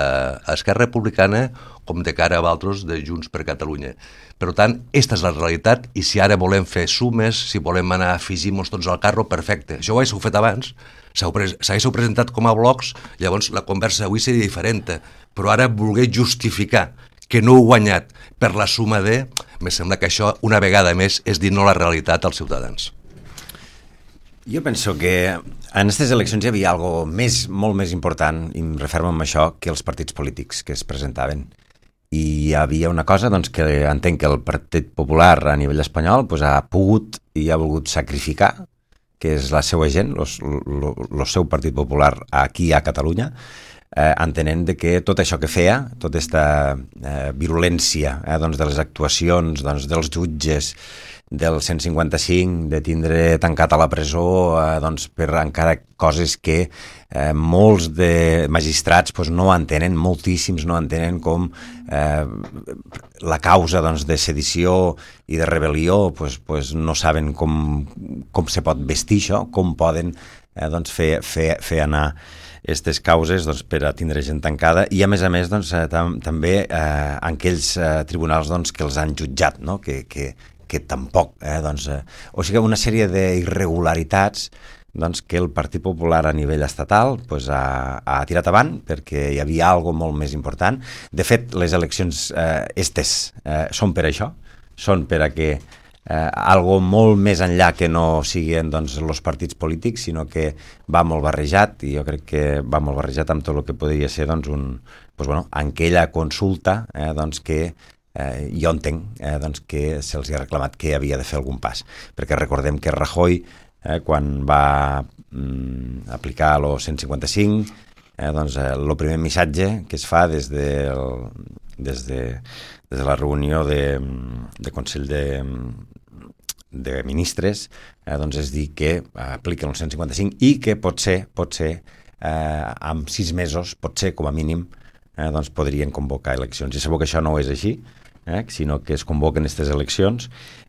a Esquerra Republicana com de cara a altres de Junts per Catalunya. Per tant, aquesta és la realitat i si ara volem fer sumes, si volem anar a afegir-nos tots al carro, perfecte. Això ho haguéssiu fet abans, s'haguéssiu presentat com a blocs, llavors la conversa avui seria diferent, però ara voler justificar que no heu guanyat per la suma de... Me sembla que això, una vegada més, és dir no la realitat als ciutadans. Jo penso que en aquestes eleccions hi havia algo més, molt més important, i em refermo amb això, que els partits polítics que es presentaven. I hi havia una cosa doncs, que entenc que el Partit Popular a nivell espanyol pues, ha pogut i ha volgut sacrificar, que és la seva gent, el seu Partit Popular aquí a Catalunya, eh, entenent de que tot això que feia, tota aquesta eh, virulència eh, doncs, de les actuacions doncs, dels jutges, del cent cinquanta cinc, de tindre tancat a la presó eh, doncs, per encara coses que eh, molts de magistrats doncs, no entenen, moltíssims no entenen com eh, la causa doncs, de sedició i de rebel·lió doncs, doncs, no saben com, com se pot vestir això, com poden eh, doncs, fer, fer, fer anar aquestes causes doncs, per a tindre gent tancada i a més a més doncs, eh, tam també eh, en aquells eh, tribunals doncs, que els han jutjat, no? que, que que tampoc, eh, doncs, eh, o sigui, una sèrie d'irregularitats doncs, que el Partit Popular a nivell estatal pues, ha, ha tirat avant perquè hi havia algo molt més important. De fet, les eleccions eh, estes eh, són per això, són per a que eh, algo molt més enllà que no siguin doncs, els partits polítics, sinó que va molt barrejat, i jo crec que va molt barrejat amb tot el que podria ser doncs, un, doncs, bueno, aquella consulta eh, doncs, que Eh, jo entenc eh, doncs, que se'ls ha reclamat que havia de fer algun pas, perquè recordem que Rajoy, eh, quan va mm, aplicar el cent cinquanta cinc, eh, doncs, eh, el primer missatge que es fa des de, el, des de, des de la reunió de, de Consell de, de Ministres eh, doncs és dir que apliquen el cent cinquanta cinc i que potser, potser eh, amb sis mesos, potser com a mínim, eh, doncs podrien convocar eleccions. I sabeu que això no és així, Eh, sinó que es convoquen aquestes eleccions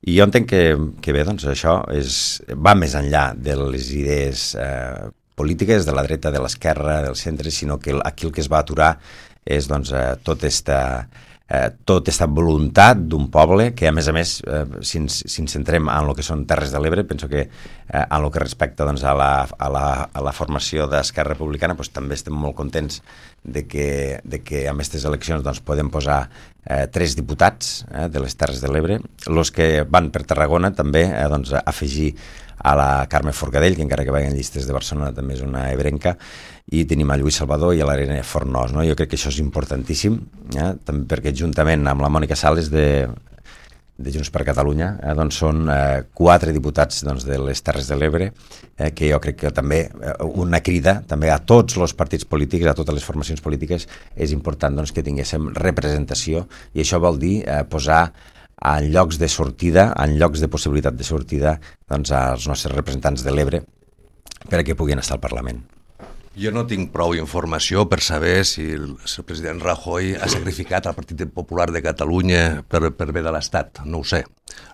i jo entenc que, que bé, doncs això és, va més enllà de les idees eh, polítiques de la dreta, de l'esquerra, del centre, sinó que aquí el que es va aturar és doncs, eh, tota esta, eh, tota esta voluntat d'un poble que a més a més, eh, si, ens, si ens centrem en el que són Terres de l'Ebre, penso que eh, en el que respecta doncs, a, la, a, la, a la formació d'Esquerra Republicana doncs, també estem molt contents de que, de que amb aquestes eleccions doncs, podem posar eh, tres diputats eh, de les Terres de l'Ebre. Els que van per Tarragona també eh, doncs, afegir a la Carme Forcadell, que encara que vagin llistes de Barcelona també és una ebrenca, i tenim a Lluís Salvador i a l'Arena Fornós. No? Jo crec que això és importantíssim, eh? també perquè juntament amb la Mònica Sales de, de Junts per Catalunya eh, doncs són eh, quatre diputats doncs, de les Terres de l'Ebre, eh, que jo crec que també eh, una crida també a tots els partits polítics, a totes les formacions polítiques, és important doncs, que tinguéssim representació, i això vol dir eh, posar en llocs de sortida, en llocs de possibilitat de sortida, doncs, als nostres representants de l'Ebre perquè puguin estar al Parlament. Jo no tinc prou informació per saber si el, si el president Rajoy ha sacrificat el Partit Popular de Catalunya per, per bé de l'Estat, no ho sé.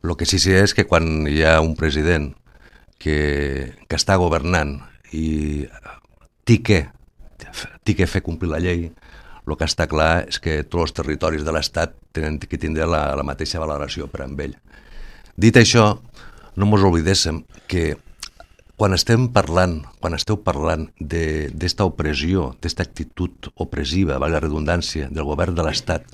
El que sí sé és que quan hi ha un president que, que està governant i té que, té que fer complir la llei, el que està clar és que tots els territoris de l'Estat tenen que tindre la, la mateixa valoració per amb ell. Dit això, no ens oblidéssim que quan estem parlant, quan esteu parlant d'esta opressió, d'esta actitud opressiva, valga la redundància, del govern de l'Estat,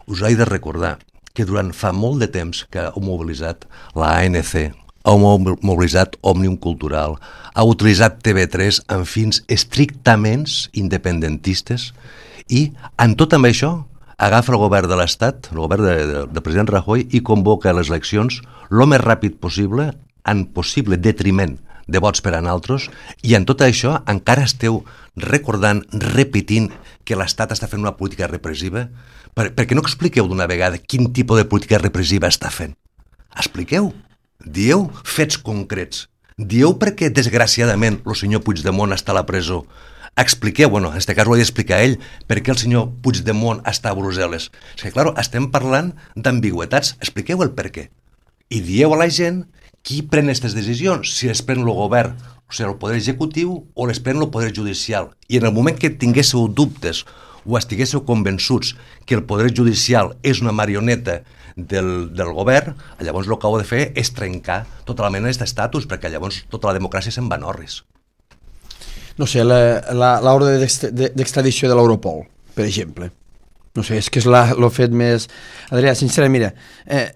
us he de recordar que durant fa molt de temps que heu mobilitzat la A N C, heu mobilitzat Òmnium Cultural, heu utilitzat T V tres amb fins estrictament independentistes, i en tot amb això agafa el govern de l'Estat, el govern del de, de president Rajoy, i convoca les eleccions el més ràpid possible, en possible detriment de vots per a naltros, i en tot això encara esteu recordant, repetint que l'Estat està fent una política repressiva? Per, per què no expliqueu d'una vegada quin tipus de política repressiva està fent? Expliqueu, dieu fets concrets, dieu perquè desgraciadament el senyor Puigdemont està a la presó. Expliqueu, bueno, en aquest cas ho he d'explicar ell, per què el senyor Puigdemont està a Brussel·les. És que, clar, estem parlant d'ambigüetats, expliqueu el per què. I dieu a la gent qui pren aquestes decisions, si les pren el govern, o sigui, el poder executiu, o les pren el poder judicial. I en el moment que tinguéssiu dubtes o estiguéssiu convençuts que el poder judicial és una marioneta del, del govern, llavors el que heu de fer és trencar tota la mena d'aquest estatus, perquè llavors tota la democràcia se'n va en orris. No sé, l'ordre d'extradició de l'Europol, per exemple. No sé, és que és el fet més... Adrià, sincerament, mira... Eh,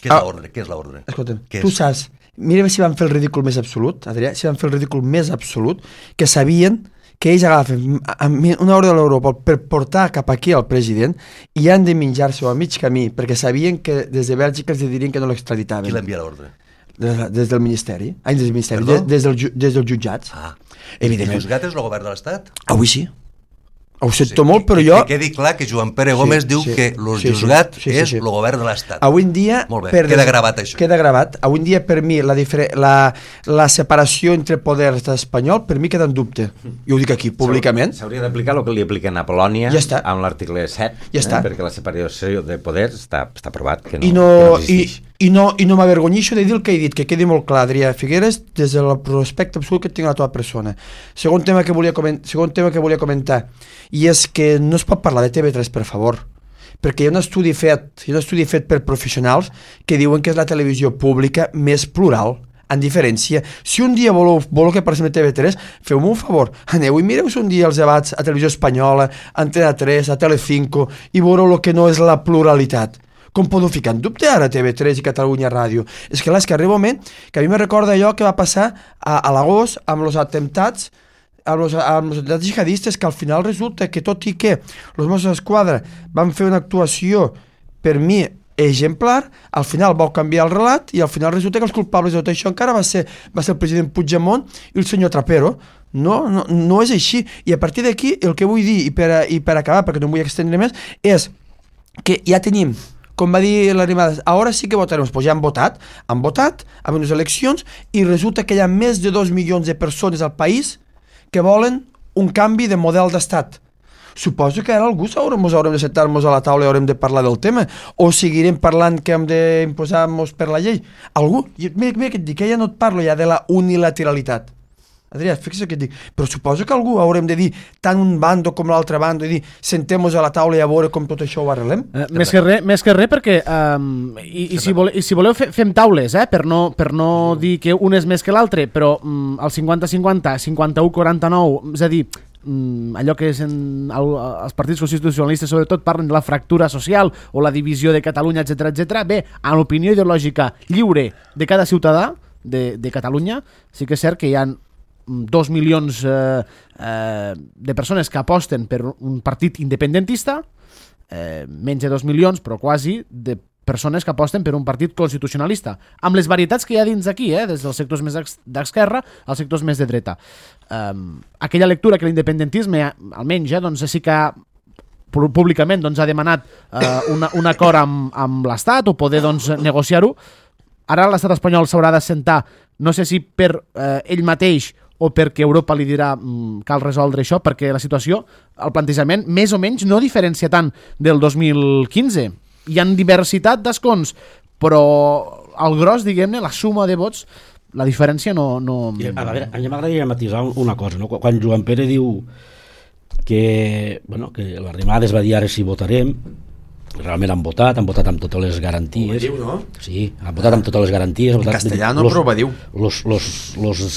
Què és l'ordre? Què és l'ordre? Escolta'm, tu saps, mira si van fer el ridícul més absolut, Adrià, si van fer el ridícul més absolut, que sabien que ells agafen una ordre de l'Europol per portar cap aquí al president i han de menjar-se a mig camí, perquè sabien que des de Bèlgica els dirien que no l'extraditaven. Qui l'envia l'ordre? Des, des del Ministeri. Ai, des del Ministeri, des, des, del, des dels jutjats. Ah. Evidentment. El jutjat és el govern de l'Estat? Avui sí. Ho sento sí, molt, però que, jo... Que quedi clar que Joan Pere Gómez sí, diu sí, que el sí, juzgat sí, sí, és sí, sí. el govern de l'Estat. Avui en dia... Molt bé, per queda gravat això. Queda gravat. Avui en dia, per mi, la, la, la separació entre poders espanyol, per mi queda en dubte. Jo ho dic aquí, públicament. S'hauria d'aplicar el que li apliquen a Polònia ja amb l'article set, ja eh, perquè la separació de poders està, està aprovat que no, I no, que no existeix. I, i no, i no m'avergonyixo de dir el que he dit, que quedi molt clar, Adrià Figueres, des del prospecte absolut que tinc a la teva persona. Segon tema que volia comentar, segon tema que volia comentar, i és que no es pot parlar de T V tres, per favor, perquè hi ha un estudi fet, hi ha un estudi fet per professionals que diuen que és la televisió pública més plural, en diferència. Si un dia voleu, voleu que parlem de T V tres, feu-me un favor, aneu i mireu un dia els debats a Televisió Espanyola, a Antena tres, a Telecinco, i veureu el que no és la pluralitat. Com podeu ficar en dubte ara T V tres i Catalunya Ràdio? És que, és que arriba un moment que a mi me recorda allò que va passar a, a l'agost amb els atemptats amb els, amb els atemptats jihadistes, que al final resulta que tot i que els Mossos d'Esquadra van fer una actuació per mi exemplar, al final vau canviar el relat i al final resulta que els culpables de tot això encara va ser, va ser el president Puigdemont i el senyor Trapero. No, no, no és així. I a partir d'aquí el que vull dir, i per, a, i per acabar, perquè no em vull extendre més, és que ja tenim, com va dir l'Arrimadas, ara sí que votarem, pues ja han votat, han votat amb unes eleccions i resulta que hi ha més de dos milions de persones al país que volen un canvi de model d'estat. Suposo que ara algú haurem, haurem de sentar-nos a la taula i haurem de parlar del tema, o seguirem parlant que hem d'imposar-nos per la llei. Algú, mira, mira que et dic, que ja no et parlo ja de la unilateralitat. Adrià, fixa't que et dic, però suposo que algú haurem de dir tant un bando com l'altre bando i dir, sentem-nos a la taula i a veure com tot això ho arreglem. Eh, més que res, més que res perquè um, i, i, si vole, i si voleu fe, fem taules, eh, per no, per no dir que un és més que l'altre, però um, el cinquanta cinquanta, cinquanta-u quaranta-nou, és a dir, um, allò que és en, el, els partits constitucionalistes sobretot parlen de la fractura social o la divisió de Catalunya, etcètera, etcètera. Bé, en l'opinió ideològica lliure de cada ciutadà de, de Catalunya, sí que és cert que hi ha dos milions eh, eh, de persones que aposten per un partit independentista, eh, menys de dos milions, però quasi, de persones que aposten per un partit constitucionalista, amb les varietats que hi ha dins d'aquí, eh, des dels sectors més d'esquerra als sectors més de dreta. Eh, aquella lectura que l'independentisme, almenys, eh, doncs sí que públicament doncs, ha demanat eh, una, un acord amb, amb l'Estat o poder doncs, negociar-ho. Ara l'estat espanyol s'haurà d'assentar, no sé si per eh, ell mateix o perquè Europa li dirà mm, cal resoldre això, perquè la situació, el plantejament, més o menys no diferencia tant del dos mil quinze. Hi ha diversitat d'escons, però el gros, diguem-ne, la suma de vots, la diferència no... no... I, a veure, a mi m'agradaria matisar una cosa, no? Quan Joan Pere diu que, bueno, que l'Arrimadas va dir ara si votarem, realment han votat, han votat amb totes les garanties. Ho diu, no? Sí, han votat amb totes les garanties. En castellà no, però ho diu. Los, los, los,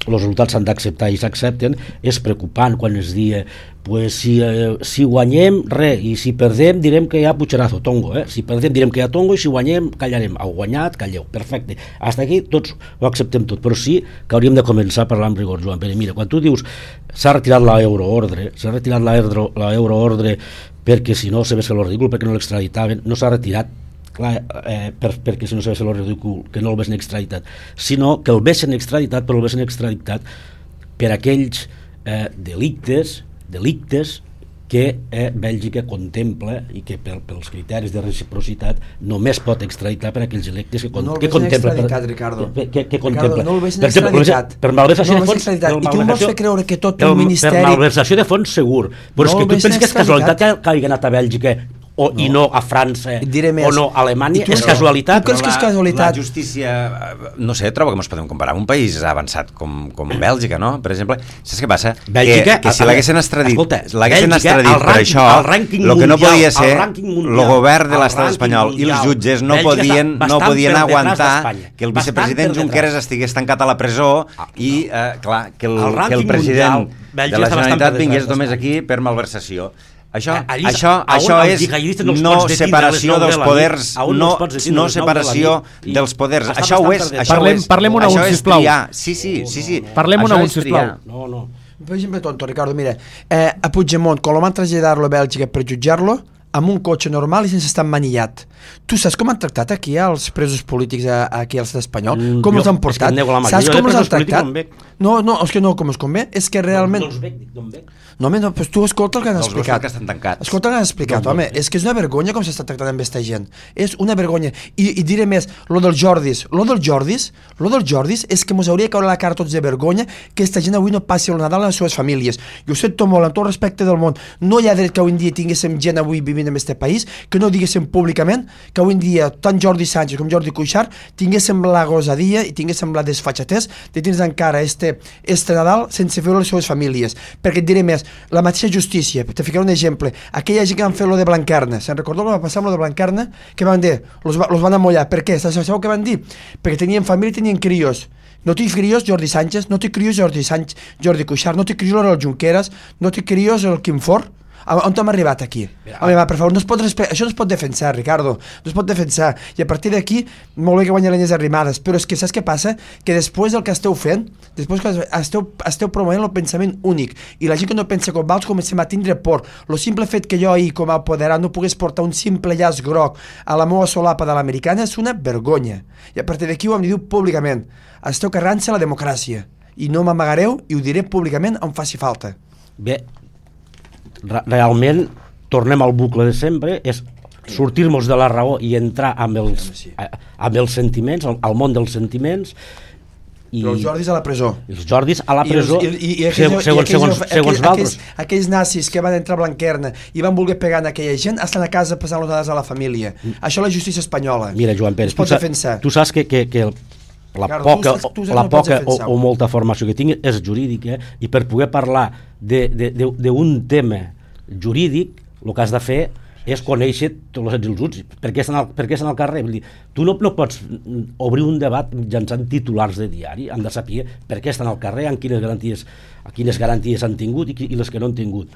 els resultats s'han d'acceptar i s'accepten. És preocupant quan es dia pues, si, eh, si guanyem, res, i si perdem direm que hi ha pucherazo, tongo, eh? Si perdem direm que hi ha tongo i si guanyem callarem. Heu guanyat, calleu, perfecte. Hasta aquí tots ho acceptem tot, però sí que hauríem de començar a parlar amb rigor, Joan Pere. Mira, quan tu dius s'ha retirat l'euroordre, s'ha retirat l'euroordre perquè si no se ves que lo ridícul, perquè no l'extraditaven, no s'ha retirat clar, eh, per, perquè si no sabés el ridícul, que no el vessin extraditat, sinó que el vessin extraditat, però el vessin extraditat per aquells eh, delictes, delictes que eh, Bèlgica contempla i que per, pels criteris de reciprocitat només pot extraditar per aquells delictes que, con, no que contempla per, Ricardo. Que, que, que Ricardo, contempla no el vessin per exemple, extraditat. Per malversació no de fons, i tu em vols fer creure que tot un ministeri... Per malversació de fons segur, però no és que tu penses que és casualitat que, que hagi anat a Bèlgica o, no. i no a França o no a Alemanya, és però, casualitat. Tu creus que és casualitat? La justícia, no sé, trobo que ens podem comparar amb un país avançat com, com Bèlgica, no? Per exemple, saps què passa? Bèlgica, que, que si l'haguessin extradit, escolta, l'haguessin extradit per això, el que no podia ser, el govern de l'estat espanyol i els jutges no podien, no podien aguantar que el vicepresident Junqueras estigués tancat a la presó i, eh, clar, que el, que el president de la Generalitat vingués només aquí per malversació. Això, Allí, això, això és no separació dels poders, no, no separació dels poders. Això ho és. Això parlem, és, parlem una això un, és sisplau. triar. Sí, sí, sí, sí. Parlem una un, sisplau. No, no. Per exemple, tonto, Ricardo, mira, eh, a Puigdemont, quan lo van traslladar-lo a Bèlgica per jutjar-lo, amb un cotxe normal i sense estar manillat. Tu saps com han tractat aquí els presos polítics a, a aquí a l'estat espanyol? Mm, com jo, els han portat? Que saps com els han tractat? No, no, no, és que no com els convé, és que realment... No, no els veig, no em veig. No, home, no, però tu escolta el que han No, els explicat. que estan tancats. Escolta el que han explicat, home, és que és una vergonya com s'està tractant amb aquesta gent. És una vergonya. I, i diré més, lo dels Jordis, lo dels Jordis, lo dels Jordis és que mos hauria de caure la cara tots de vergonya que aquesta gent avui no passi el Nadal a les seves famílies. Jo ho sento molt, amb tot respecte del món. No hi ha dret que avui en dia tinguéssim gent avui vivint en aquest país, que no diguéssim públicament, que avui en dia tant Jordi Sánchez com Jordi Cuixart tinguéssim la gosadia i tinguéssim la desfatxatès de tindre encara este, este Nadal sense fer les seves famílies. Perquè et diré més, la mateixa justícia, te ficaré un exemple, aquella gent que van fer lo de Blanquerna, se'n recordeu que va passar amb lo de Blanquerna? Què van dir? Los, va, los van amollar. Per què? Sabeu què van dir? Perquè tenien família i tenien crios. No té crios Jordi Sánchez, no té crios Jordi Sánchez, Jordi Cuixart, no té crios el Junqueras, no té crios el Quim Forn. On hem arribat aquí? Mira, home, va, per favor, no es pot respe... això no es pot defensar, Ricardo, no es pot defensar, i a partir d'aquí molt bé que guanyen les arrimades, però és que saps què passa? Que després del que esteu fent, després que esteu, esteu promovent el pensament únic, i la gent que no pensa com vals comencem a tindre por. El simple fet que jo ahir, com a apoderat, no pogués portar un simple llaç groc a la meva solapa de l'americana és una vergonya, i a partir d'aquí ho hem de dir públicament, esteu carregant-se la democràcia, i no m'amagareu i ho diré públicament on faci falta. Bé, realment tornem al bucle de sempre, és sortir-nos de la raó i entrar amb els, amb els sentiments, al, al món dels sentiments. I però els Jordis a la presó. Els Jordis a la presó, I, i, i aquells, segons, segons, i aquells, segons, segons aquells, Valtros. Aquells, aquells nazis que van entrar a Blanquerna i van voler pegar en aquella gent estan a casa passant les dades a la família. Mm. Això és la justícia espanyola. Mira, Joan Pérez, es pot tu, defensar. Tu saps que, que, que el, la Ricardo, poca, tu saps, tu la no poca o, o o molta formació que tinc és jurídica, i per poder parlar d'un tema jurídic el que has de fer és conèixer tots els utils, per què estan al, per què estan al carrer. Vull dir, tu no, no pots obrir un debat mitjançant titulars de diari, han de saber per què estan al carrer, amb quines garanties, quines garanties han tingut i, i les que no han tingut.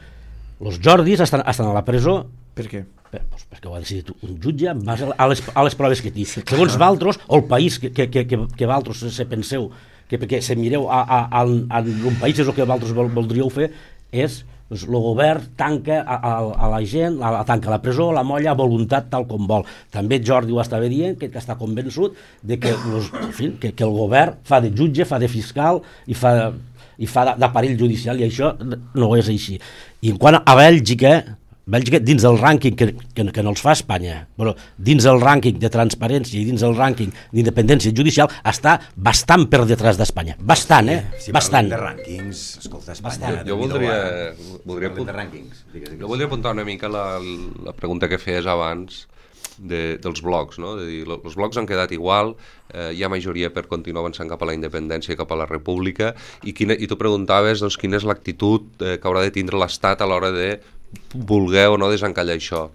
Els Jordis estan, estan a la presó. Per què? Per, doncs perquè ho ha decidit un jutge en base a les, a les proves que té. Segons Valtros, o el país que, que, que, que Valtros se penseu, que perquè se mireu a, a, a, a un país és el que Valtros vol, voldríeu fer, és doncs, el govern tanca a, a, a la gent, la, la tanca a la presó, la molla a voluntat tal com vol. També Jordi ho estava dient, que, que està convençut de que, los, en fi, que, que el govern fa de jutge, fa de fiscal i fa, i fa d'aparell judicial, i això no és així. I en quant a Bèlgica, Bèlgica dins del rànquing que, que, que no els fa Espanya, però dins del rànquing de transparència i dins del rànquing d'independència judicial està bastant per detrás d'Espanya. Bastant, eh? Si bastant. parlem de rànquings, escolta, Espanya... Jo, jo voldria... voldria de rànquings. Jo voldria apuntar una mica la, la pregunta que feies abans de, dels blocs, no? De dir, els blocs han quedat igual, eh, hi ha majoria per continuar avançant cap a la independència i cap a la república, i, quina, i tu preguntaves doncs, quina és l'actitud eh, que haurà de tindre l'Estat a l'hora de voler o no desencallar això.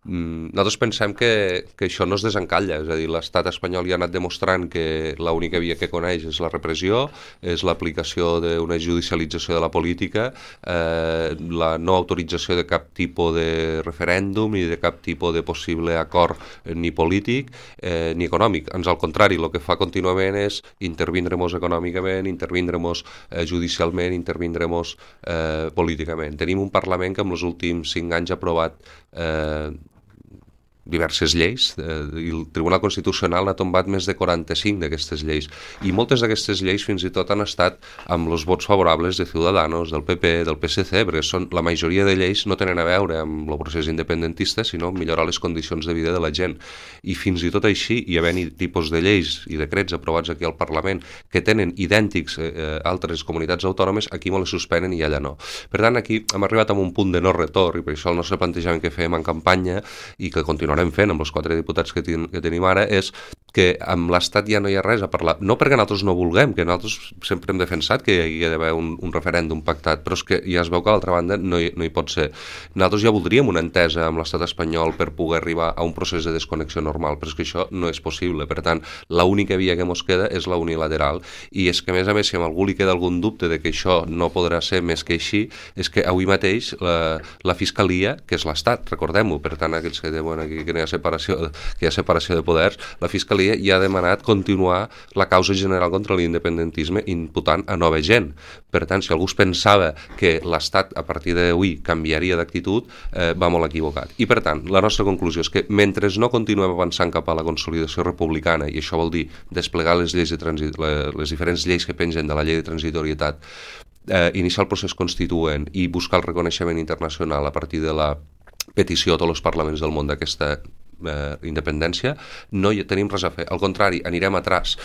Mm, nosaltres pensem que, que això no es desencalla, és a dir, l'estat espanyol ja ha anat demostrant que l'única via que coneix és la repressió, és l'aplicació d'una judicialització de la política, eh, la no autorització de cap tipus de referèndum ni de cap tipus de possible acord eh, ni polític eh, ni econòmic. Ans al contrari, el que fa contínuament és intervindre-nos econòmicament, intervindre-nos eh, judicialment, intervindre-nos eh, políticament. Tenim un Parlament que en els últims cinc anys ha aprovat eh, diverses lleis, eh, i el Tribunal Constitucional n'ha tombat més de quaranta-cinc d'aquestes lleis, i moltes d'aquestes lleis fins i tot han estat amb els vots favorables de Ciudadanos, del P P, del P S C, perquè són, la majoria de lleis no tenen a veure amb el procés independentista, sinó millorar les condicions de vida de la gent. I fins i tot així, hi havent tipus de lleis i decrets aprovats aquí al Parlament que tenen idèntics eh, altres comunitats autònomes, aquí me les suspenen i allà no. Per tant, aquí hem arribat a un punt de no retorn, i per això el nostre plantejament que fem en campanya i que continuarem fent amb els quatre diputats que, ten, que tenim ara és que amb l'Estat ja no hi ha res a parlar. No perquè nosaltres no vulguem, que nosaltres sempre hem defensat que hi ha d'haver un, un referèndum pactat, però és que ja es veu que a l'altra banda no hi, no hi pot ser. Nosaltres ja voldríem una entesa amb l'estat espanyol per poder arribar a un procés de desconnexió normal, però és que això no és possible. Per tant, l'única via que ens queda és la unilateral. I és que, a més a més, si a algú li queda algun dubte de que això no podrà ser més que així, és que avui mateix la, la Fiscalia, que és l'Estat, recordem-ho, per tant, aquells que diuen aquí que hi ha separació, que hi ha separació de poders, la Fiscalia ja ha demanat continuar la causa general contra l'independentisme imputant a nova gent. Per tant, si algú es pensava que l'Estat a partir d'avui canviaria d'actitud, eh, va molt equivocat. I per tant, la nostra conclusió és que mentre no continuem avançant cap a la consolidació republicana, i això vol dir desplegar les lleis de transit, les diferents lleis que pengen de la llei de transitorietat, eh, iniciar el procés constituent i buscar el reconeixement internacional a partir de la petició a tots els parlaments del món d'aquesta Eh, independència, no hi tenim res a fer, al contrari, anirem atràs.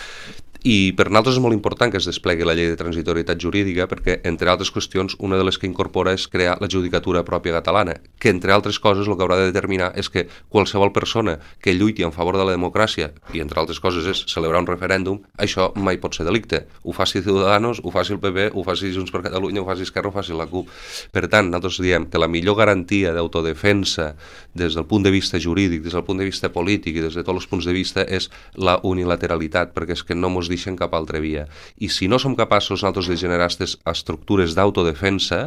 I per nosaltres és molt important que es desplegui la llei de transitorietat jurídica perquè, entre altres qüestions, una de les que incorpora és crear la judicatura pròpia catalana, que, entre altres coses, el que haurà de determinar és que qualsevol persona que lluiti en favor de la democràcia, i entre altres coses és celebrar un referèndum, això mai pot ser delicte. Ho faci Ciudadanos, ho faci el P P, ho faci Junts per Catalunya, ho faci Esquerra, ho faci la CUP. Per tant, nosaltres diem que la millor garantia d'autodefensa des del punt de vista jurídic, des del punt de vista polític i des de tots els punts de vista és la unilateralitat, perquè és que no mos deixen cap altra via. I si no som capaços nosaltres de generar aquestes estructures d'autodefensa,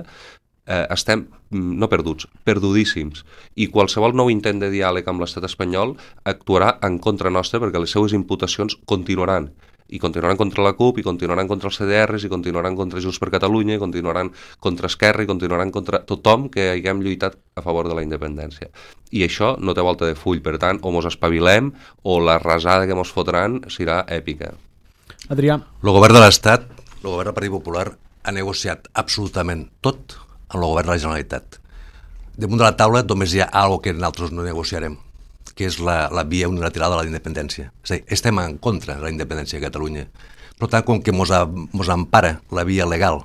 eh, estem no perduts, perdudíssims. I qualsevol nou intent de diàleg amb l'estat espanyol actuarà en contra nostra perquè les seues imputacions continuaran. I continuaran contra la CUP, i continuaran contra els C D Rs, i continuaran contra Junts per Catalunya, i continuaran contra Esquerra, i continuaran contra tothom que haguem lluitat a favor de la independència. I això no té volta de full, per tant, o mos espavilem, o la rasada que mos fotran serà èpica. Adrià. El govern de l'Estat, el govern del Partit Popular, ha negociat absolutament tot amb el govern de la Generalitat. Damunt de la taula només hi ha alguna cosa que nosaltres no negociarem, que és la, la via unilateral de la independència. És a dir, estem en contra de la independència de Catalunya. Per tant, com que mos, a, mos empara la via legal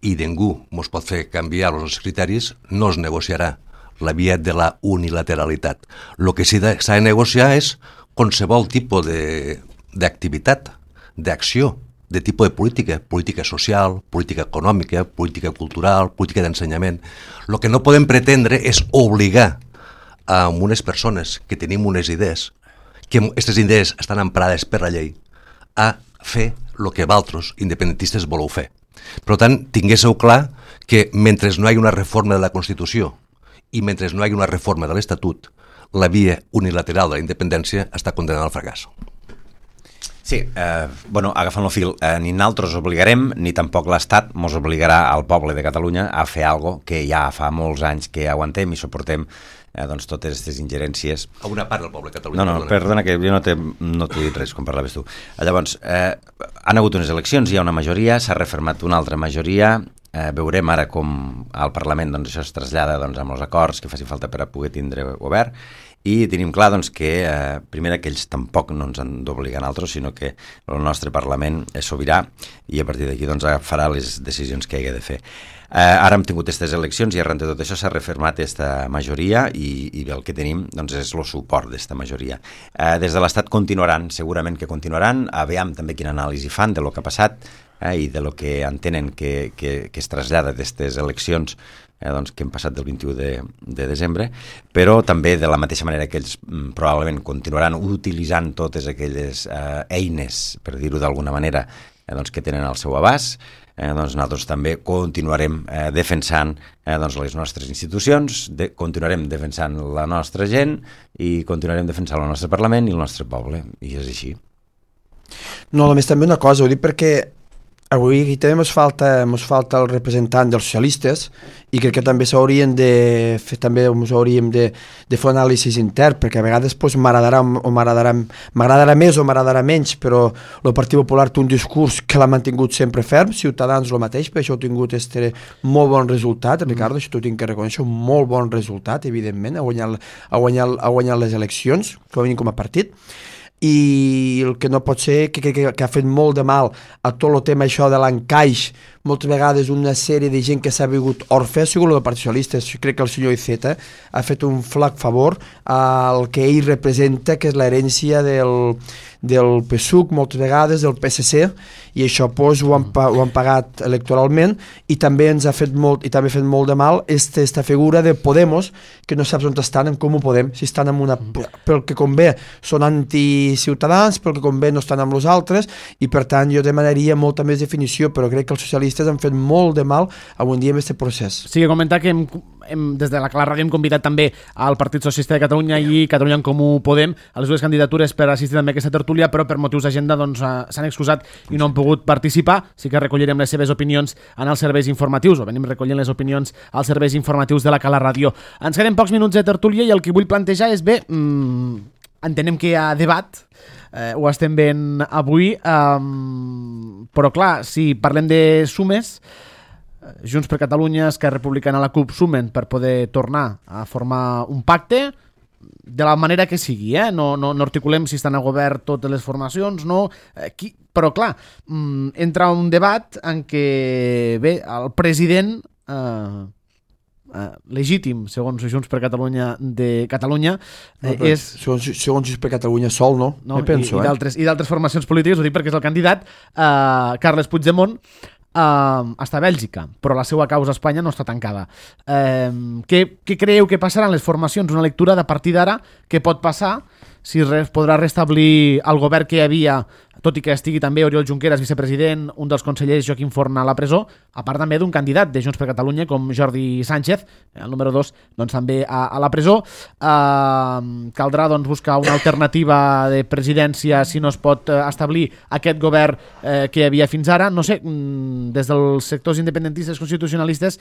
i ningú mos pot fer canviar els criteris, no es negociarà la via de la unilateralitat. El que s'ha de, de negociar és qualsevol tipus d'activitat, d'acció, de tipus de política, política social, política econòmica, política cultural, política d'ensenyament. El que no podem pretendre és obligar a unes persones que tenim unes idees, que aquestes idees estan emparades per la llei, a fer el que vosaltres, independentistes, voleu fer. Per tant, tinguéssiu clar que mentre no hi hagi una reforma de la Constitució i mentre no hi hagi una reforma de l'Estatut, la via unilateral de la independència està condenada al fracàs. Sí, eh, bueno, agafant el fil, eh, ni nosaltres obligarem, ni tampoc l'Estat mos obligarà al poble de Catalunya a fer algo que ja fa molts anys que aguantem i suportem eh, doncs totes aquestes ingerències. A una part del poble de Catalunya. No, no, perdona, que jo no t'he no dit res quan parlaves tu. Llavors, eh, han hagut unes eleccions, hi ha una majoria, s'ha refermat una altra majoria, eh, veurem ara com al Parlament doncs, això es trasllada doncs, amb els acords que faci falta per a poder tindre govern. I tenim clar doncs, que, eh, primer, que ells tampoc no ens han d'obligar a nosaltres, sinó que el nostre Parlament és sobirà i a partir d'aquí doncs, farà les decisions que hagi de fer. Eh, ara hem tingut aquestes eleccions i arran de tot això s'ha refermat aquesta majoria i, i el que tenim doncs, és el suport d'aquesta majoria. Eh, des de l'Estat continuaran, segurament que continuaran, aviam també quina anàlisi fan de lo que ha passat eh, i de lo que entenen que, que, que es trasllada d'aquestes eleccions Eh, doncs, que hem passat del vint-i-u de, de desembre, però també de la mateixa manera que ells mm, probablement continuaran utilitzant totes aquelles eh, eines, per dir-ho d'alguna manera, eh, doncs, que tenen al seu abast, eh, doncs nosaltres també continuarem eh, defensant eh, doncs, les nostres institucions, de, continuarem defensant la nostra gent i continuarem defensant el nostre Parlament i el nostre poble, i és així. No, només també una cosa, ho dic perquè avui aquí també ens falta, ens falta el representant dels socialistes i crec que també s'haurien de fer, també ens hauríem de, de fer un anàlisi intern, perquè a vegades pues, m'agradarà o m'agradarà m'agradarà més o m'agradarà menys, però el Partit Popular té un discurs que l'ha mantingut sempre ferm, Ciutadans el mateix, per això ha tingut este molt bon resultat, Ricardo, això t'ho tinc que reconèixer, un molt bon resultat, evidentment, ha guanyat, ha guanyat, ha guanyat les eleccions, com a mínim com a partit, i el que no pot ser que, que, que ha fet molt de mal a tot el tema això de l'encaix, moltes vegades una sèrie de gent que s'ha vingut orfe, ha sigut el Partit Socialista. Jo crec que el senyor Iceta ha fet un flac favor al que ell representa, que és l'herència del, del P S U C, moltes vegades del P S C, i això pues, ho, han, ho han pagat electoralment, i també ens ha fet molt, i també ha fet molt de mal esta, esta figura de Podemos, que no saps on estan, en com ho podem, si estan en una... pel que convé són anticiutadans, pel que convé no estan amb els altres, i per tant jo demanaria molta més definició, però crec que els socialistes han fet molt de mal avui dia amb aquest procés. Sí, que comentar que hem, hem, des de la Cala Ràdio hem convidat també al Partit Socialista de Catalunya i Catalunya en Comú Podem a les dues candidatures per assistir també a aquesta tertúlia, però per motius d'agenda doncs, s'han excusat i no han pogut participar. Sí que recollirem les seves opinions en els serveis informatius, o venim recollint les opinions als serveis informatius de la Cala Ràdio. Ens queden pocs minuts de tertúlia i el que vull plantejar és, bé, mmm, entenem que hi ha debat, eh, ho estem veient avui, eh, però clar, si parlem de sumes, Junts per Catalunya, Esquerra Republicana, la CUP sumen per poder tornar a formar un pacte de la manera que sigui, eh? no, no, no articulem si estan a govern totes les formacions, no, eh, qui... però clar, mm, entra un debat en què, bé, el president eh, eh, legítim, segons Junts per Catalunya de Catalunya, eh, no, és... Segons, segons Junts per Catalunya sol, no? no Me penso, i, eh? I d'altres formacions polítiques, ho dic perquè és el candidat, eh, Carles Puigdemont, Uh, està a Bèlgica, però la seva causa a Espanya no està tancada. Uh, què, què creieu que passarà en les formacions? Una lectura de partir d'ara, què pot passar, si res, podrà restablir el govern que hi havia, tot i que estigui també Oriol Junqueras, vicepresident, un dels consellers, Joaquim Forn, a la presó, a part també d'un candidat de Junts per Catalunya com Jordi Sánchez, el número dos, doncs també a, a la presó. Uh, caldrà doncs, buscar una alternativa de presidència si no es pot uh, establir aquest govern uh, que hi havia fins ara. No sé, um, des dels sectors independentistes constitucionalistes,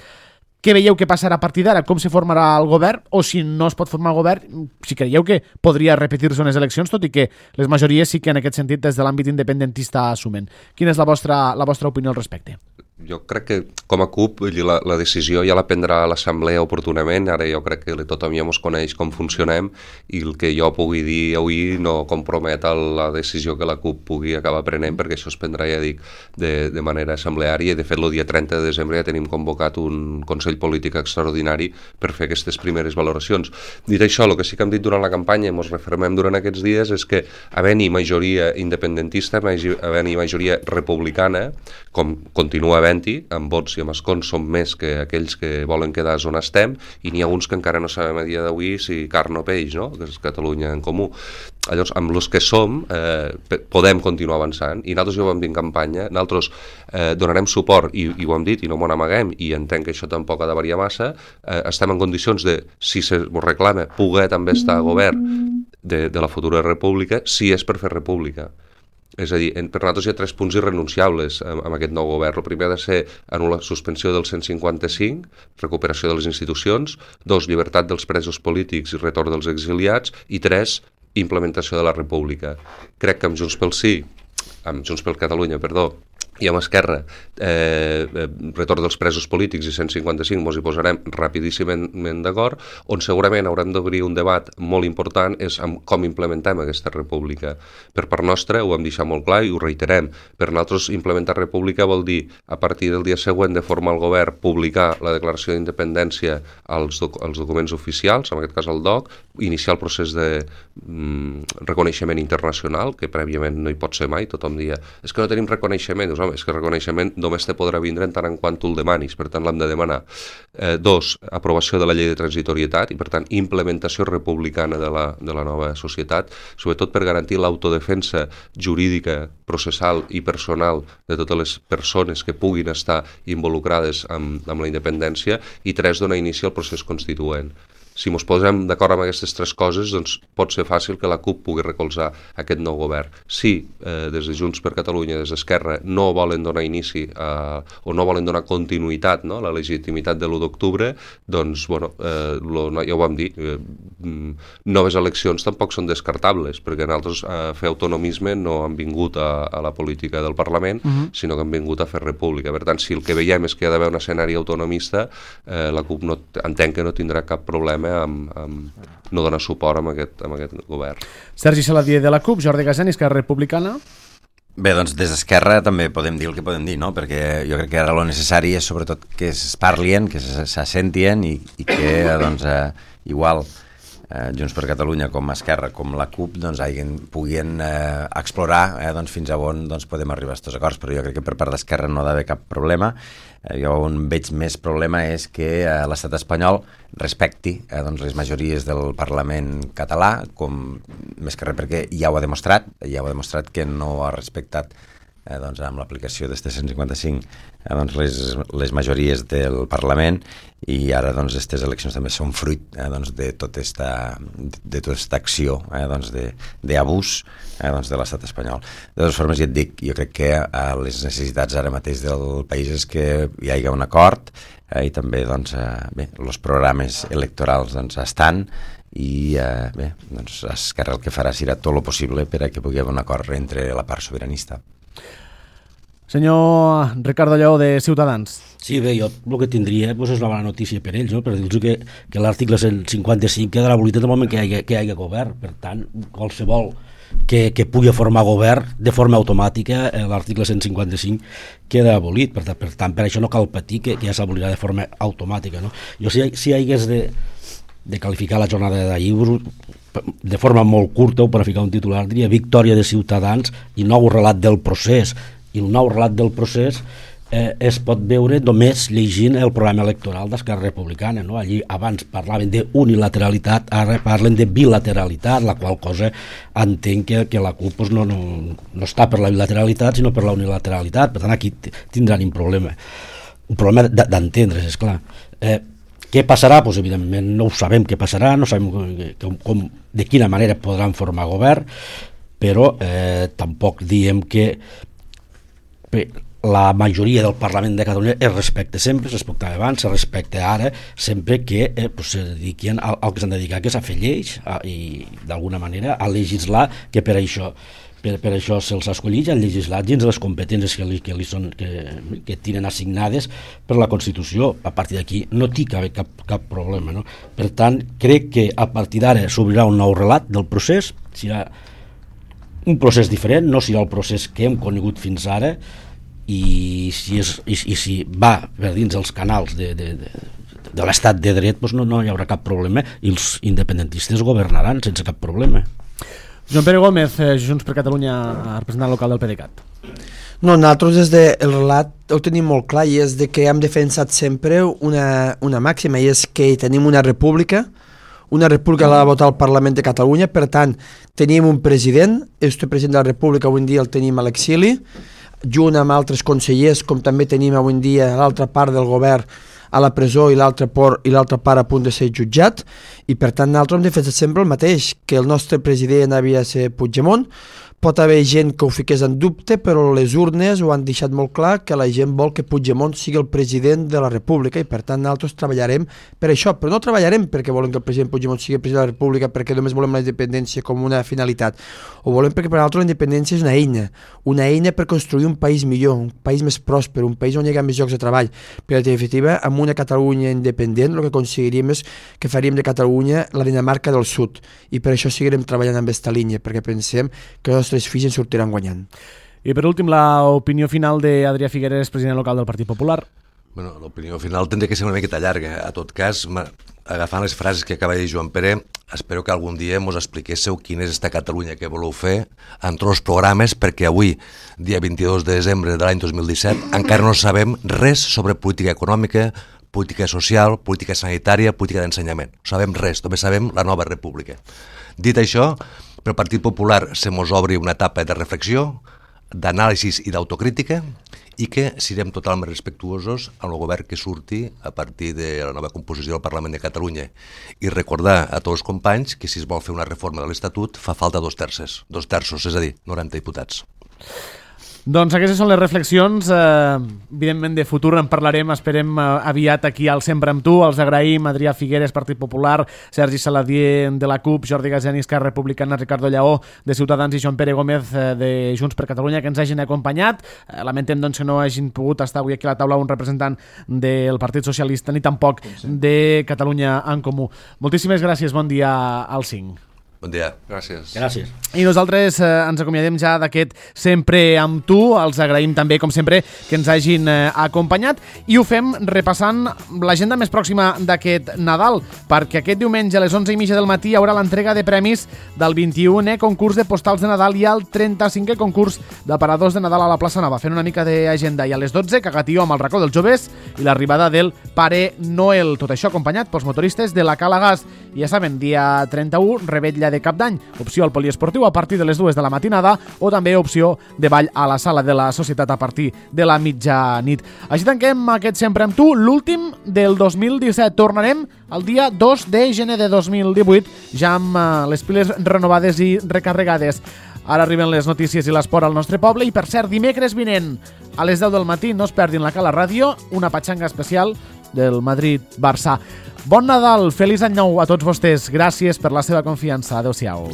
què veieu que passarà a partir d'ara? Com se formarà el govern? O si no es pot formar el govern, si creieu que podria repetir-se unes eleccions, tot i que les majories sí que en aquest sentit des de l'àmbit independentista assumen. Quina és la vostra, la vostra opinió al respecte? Jo crec que com a CUP la, la decisió ja la prendrà l'Assemblea oportunament. Ara jo crec que tothom ja ens coneix com funcionem i el que jo pugui dir avui no compromet la decisió que la CUP pugui acabar prenent, perquè això es prendrà, ja dic, de, de manera assembleària, i de fet el dia trenta de desembre ja tenim convocat un Consell Polític extraordinari per fer aquestes primeres valoracions. Dit això, el que sí que hem dit durant la campanya i ens refermem durant aquests dies és que havent-hi majoria independentista, havent-hi majoria republicana, com continua havent-hi, amb vots i amb escons som més que aquells que volen quedar on estem, i n'hi ha uns que encara no sabem a dia d'avui si carn o peix, no? Que és Catalunya en Comú. Llavors, amb els que som, eh, podem continuar avançant, i nosaltres ja ho vam dir en campanya, nosaltres eh, donarem suport, i, i ho hem dit, i no m'ho n'amaguem, i entenc que això tampoc ha de variar massa, eh, estem en condicions de, si se reclama, poder també estar a govern de, de la futura república, si és per fer república. És a dir, per nosaltres hi ha tres punts irrenunciables amb, amb aquest nou govern. El primer ha de ser anul·la suspensió del cent cinquanta-cinc, recuperació de les institucions, dos, llibertat dels presos polítics i retorn dels exiliats, i tres, implementació de la república. Crec que amb Junts pel Sí, amb Junts per Catalunya, perdó, i amb Esquerra, eh, retorn dels presos polítics i cent cinquanta-cinc, ens hi posarem rapidíssimament d'acord. On segurament haurem d'obrir un debat molt important és amb com implementem aquesta república. Per part nostra, ho hem deixat molt clar i ho reiterem, per nosaltres implementar república vol dir, a partir del dia següent de formar el govern, publicar la declaració d'independència als, doc als documents oficials, en aquest cas el D O C, iniciar el procés de mm, reconeixement internacional, que prèviament no hi pot ser mai. Tothom dia, és que no tenim reconeixement. Dius, home, és que el reconeixement només te podrà vindre en tant en quant tu el demanis, per tant l'hem de demanar. Eh, dos, aprovació de la llei de transitorietat i per tant implementació republicana de la, de la nova societat, sobretot per garantir l'autodefensa jurídica, processal i personal de totes les persones que puguin estar involucrades amb, amb la independència. I tres, donar inici al procés constituent. Si ens posem d'acord amb aquestes tres coses, doncs pot ser fàcil que la CUP pugui recolzar aquest nou govern. Si eh, des de Junts per Catalunya, des d'Esquerra, no volen donar inici a, o no volen donar continuïtat, no, a la legitimitat de l'u d'octubre, doncs, bueno, eh, lo, ja ho vam dir, eh, noves eleccions tampoc són descartables, perquè nosaltres a fer autonomisme no han vingut a, a la política del Parlament, uh-huh. sinó que han vingut a fer república. Per tant, si el que veiem és que hi ha d'haver un escenari autonomista, eh, la CUP no, entenc que no tindrà cap problema amb, amb no donar suport amb aquest, amb aquest govern. Sergi Saladier de la CUP, Jordi Gasani, Esquerra Republicana. Bé, doncs des d'Esquerra també podem dir el que podem dir, no? Perquè jo crec que ara lo necessari és sobretot que es parlien, que s'assentien i, i que doncs, eh, igual eh, Junts per Catalunya com Esquerra com la CUP doncs, hagin, puguin eh, explorar eh, doncs, fins a on doncs, podem arribar a aquests acords, però jo crec que per part d'Esquerra no ha d'haver cap problema. Eh, jo on veig més problema és que eh, l'estat espanyol respecti eh, doncs, les majories del Parlament català, com, més que res perquè ja ho ha demostrat, ja ho ha demostrat que no ha respectat eh, doncs, amb l'aplicació d'este cent cinquanta-cinc eh, doncs, les, les majories del Parlament, i ara doncs aquestes eleccions també són fruit eh, doncs, de tota esta, de tota esta acció eh, doncs, d'abús eh, doncs, de l'estat espanyol. De totes formes, ja et dic, jo crec que eh, les necessitats ara mateix del país és que hi hagi un acord eh, i també doncs, eh, bé, els programes electorals doncs, estan i eh, bé, doncs, Esquerra el que farà serà tot el possible per a que pugui haver un acord entre la part sobiranista. Senyor Ricardo Lleó, de Ciutadans. Sí, bé, jo el que tindria doncs, és una bona notícia per ells, no? Per dir-los que, que l'article cent cinquanta-cinc queda abolit en el moment que hi hagi, que hi hagi govern. Per tant, qualsevol que, que pugui formar govern de forma automàtica, eh, l'article cent cinquanta-cinc queda abolit. Per, per tant, per això no cal patir que, que ja s'abolirà de forma automàtica. No? Jo, si, si hagués de, de qualificar la jornada d'ahir de forma molt curta o per ficar un titular, diria victòria de Ciutadans i nou relat del procés. I el nou relat del procés eh, es pot veure només llegint el programa electoral d'Esquerra Republicana. No? Allí abans parlaven d'unilateralitat, ara parlen de bilateralitat, la qual cosa entenc que, que la CUP pues, no, no, no està per la bilateralitat, sinó per la unilateralitat. Per tant, aquí tindran un problema. Un problema d'entendre's, esclar. Eh, què passarà? Pues, evidentment no ho sabem què passarà, no sabem com, com, de quina manera podran formar govern, però eh, tampoc diem que la majoria del Parlament de Catalunya es respecta sempre, es respectava abans, es respecta ara, sempre que eh, pues, se dediquin al, al que s'han dedicat, que és a fer lleis a, i d'alguna manera a legislar, que per això per, per això se'ls ha escollit, han legislat dins les competències que, li, que, li són, que, que tenen assignades per la Constitució. A partir d'aquí no té cap, cap, cap problema. No? Per tant, crec que a partir d'ara s'obrirà un nou relat del procés, serà un procés diferent, no serà el procés que hem conegut fins ara, i si, és, i, i si va per dins els canals de, de, de, de l'estat de dret, doncs no, no hi haurà cap problema i els independentistes governaran sense cap problema. Joan Pere Gómez, Junts per Catalunya, representant local del PDeCAT. No, nosaltres des del relat ho tenim molt clar, i és de que hem defensat sempre una, una màxima, i és que tenim una república, una república l'ha de votar el Parlament de Catalunya, per tant, tenim un president, este president de la república avui en dia el tenim a l'exili, junt amb altres consellers, com també tenim avui en dia l'altra part del govern a la presó i l'altra part a punt de ser jutjat, i per tant nosaltres hem defensat sempre el mateix, que el nostre president havia de ser Puigdemont. Pot haver gent que ho fiqués en dubte, però les urnes ho han deixat molt clar, que la gent vol que Puigdemont sigui el president de la República, i per tant nosaltres treballarem per això, però no treballarem perquè volem que el president Puigdemont sigui el president de la República perquè només volem la independència com una finalitat, ho volem perquè per nosaltres la independència és una eina, una eina per construir un país millor, un país més pròsper, un país on hi ha més llocs de treball. Per en definitiva, amb una Catalunya independent el que aconseguiríem és que faríem de Catalunya la Dinamarca del Sud, i per això seguirem treballant amb aquesta línia, perquè pensem que els nostres fills en sortiran guanyant. I per últim, l'opinió final d'Adrià Figueres, president local del Partit Popular. Bueno, l'opinió final tindria que ser una miqueta llarga. A tot cas, agafant les frases que acaba de dir Joan Pere, espero que algun dia mos expliquéssiu quina és esta Catalunya que voleu fer en tots els programes, perquè avui, dia vint-i-dos de desembre de l'any dos mil disset, encara no sabem res sobre política econòmica, política social, política sanitària, política d'ensenyament. No sabem res, només sabem la nova república. Dit això, pel Partit Popular se mos obri una etapa de reflexió, d'anàlisi i d'autocrítica, i que siguem totalment respectuosos amb el govern que surti a partir de la nova composició del Parlament de Catalunya. I recordar a tots els companys que si es vol fer una reforma de l'Estatut fa falta dos terços, dos terços, és a dir, noranta diputats. Doncs aquestes són les reflexions, eh, evidentment de futur en parlarem, esperem eh, aviat aquí al Sempre amb tu, els agraïm Adrià Figueres, Partit Popular, Sergi Saladier de la CUP, Jordi Gasiani, Esquerra Republicana, Ricardo Lleó de Ciutadans i Joan Pere Gómez eh, de Junts per Catalunya, que ens hagin acompanyat. Eh, lamentem doncs, que no hagin pogut estar avui aquí a la taula un representant del Partit Socialista ni tampoc de Catalunya en Comú. Moltíssimes gràcies, bon dia al cinc. Bon dia. Gràcies. Gràcies. I nosaltres eh, ens acomiadem ja d'aquest Sempre amb tu. Els agraïm també, com sempre, que ens hagin eh, acompanyat i ho fem repassant l'agenda més pròxima d'aquest Nadal, perquè aquest diumenge a les onze i mitja del matí hi haurà l'entrega de premis del vint-i-unè concurs de postals de Nadal i el trenta-cinquè concurs d'aparadors de Nadal a la plaça Nova, fent una mica d'agenda. I a les dotze, Cagatió amb el racó dels joves i l'arribada del Pare Noel. Tot això acompanyat pels motoristes de la Cala Gas. I ja saben, dia trenta-u, revetlla de Cap d'Any, opció al poliesportiu a partir de les dues de la matinada o també opció de ball a la sala de la Societat a partir de la mitjanit. Així tanquem aquest Sempre amb tu, l'últim del dos mil disset. Tornarem el dia dos de gener de dos mil divuit, ja amb uh, les piles renovades i recarregades. Ara arriben les notícies i l'esport al nostre poble i, per cert, dimecres vinent a les deu del matí no es perdin la Cala Ràdio, una patxanga especial del Madrid-Barça. Bon Nadal, feliç any nou a tots vostès. Gràcies per la seva confiança. Adéu-siau.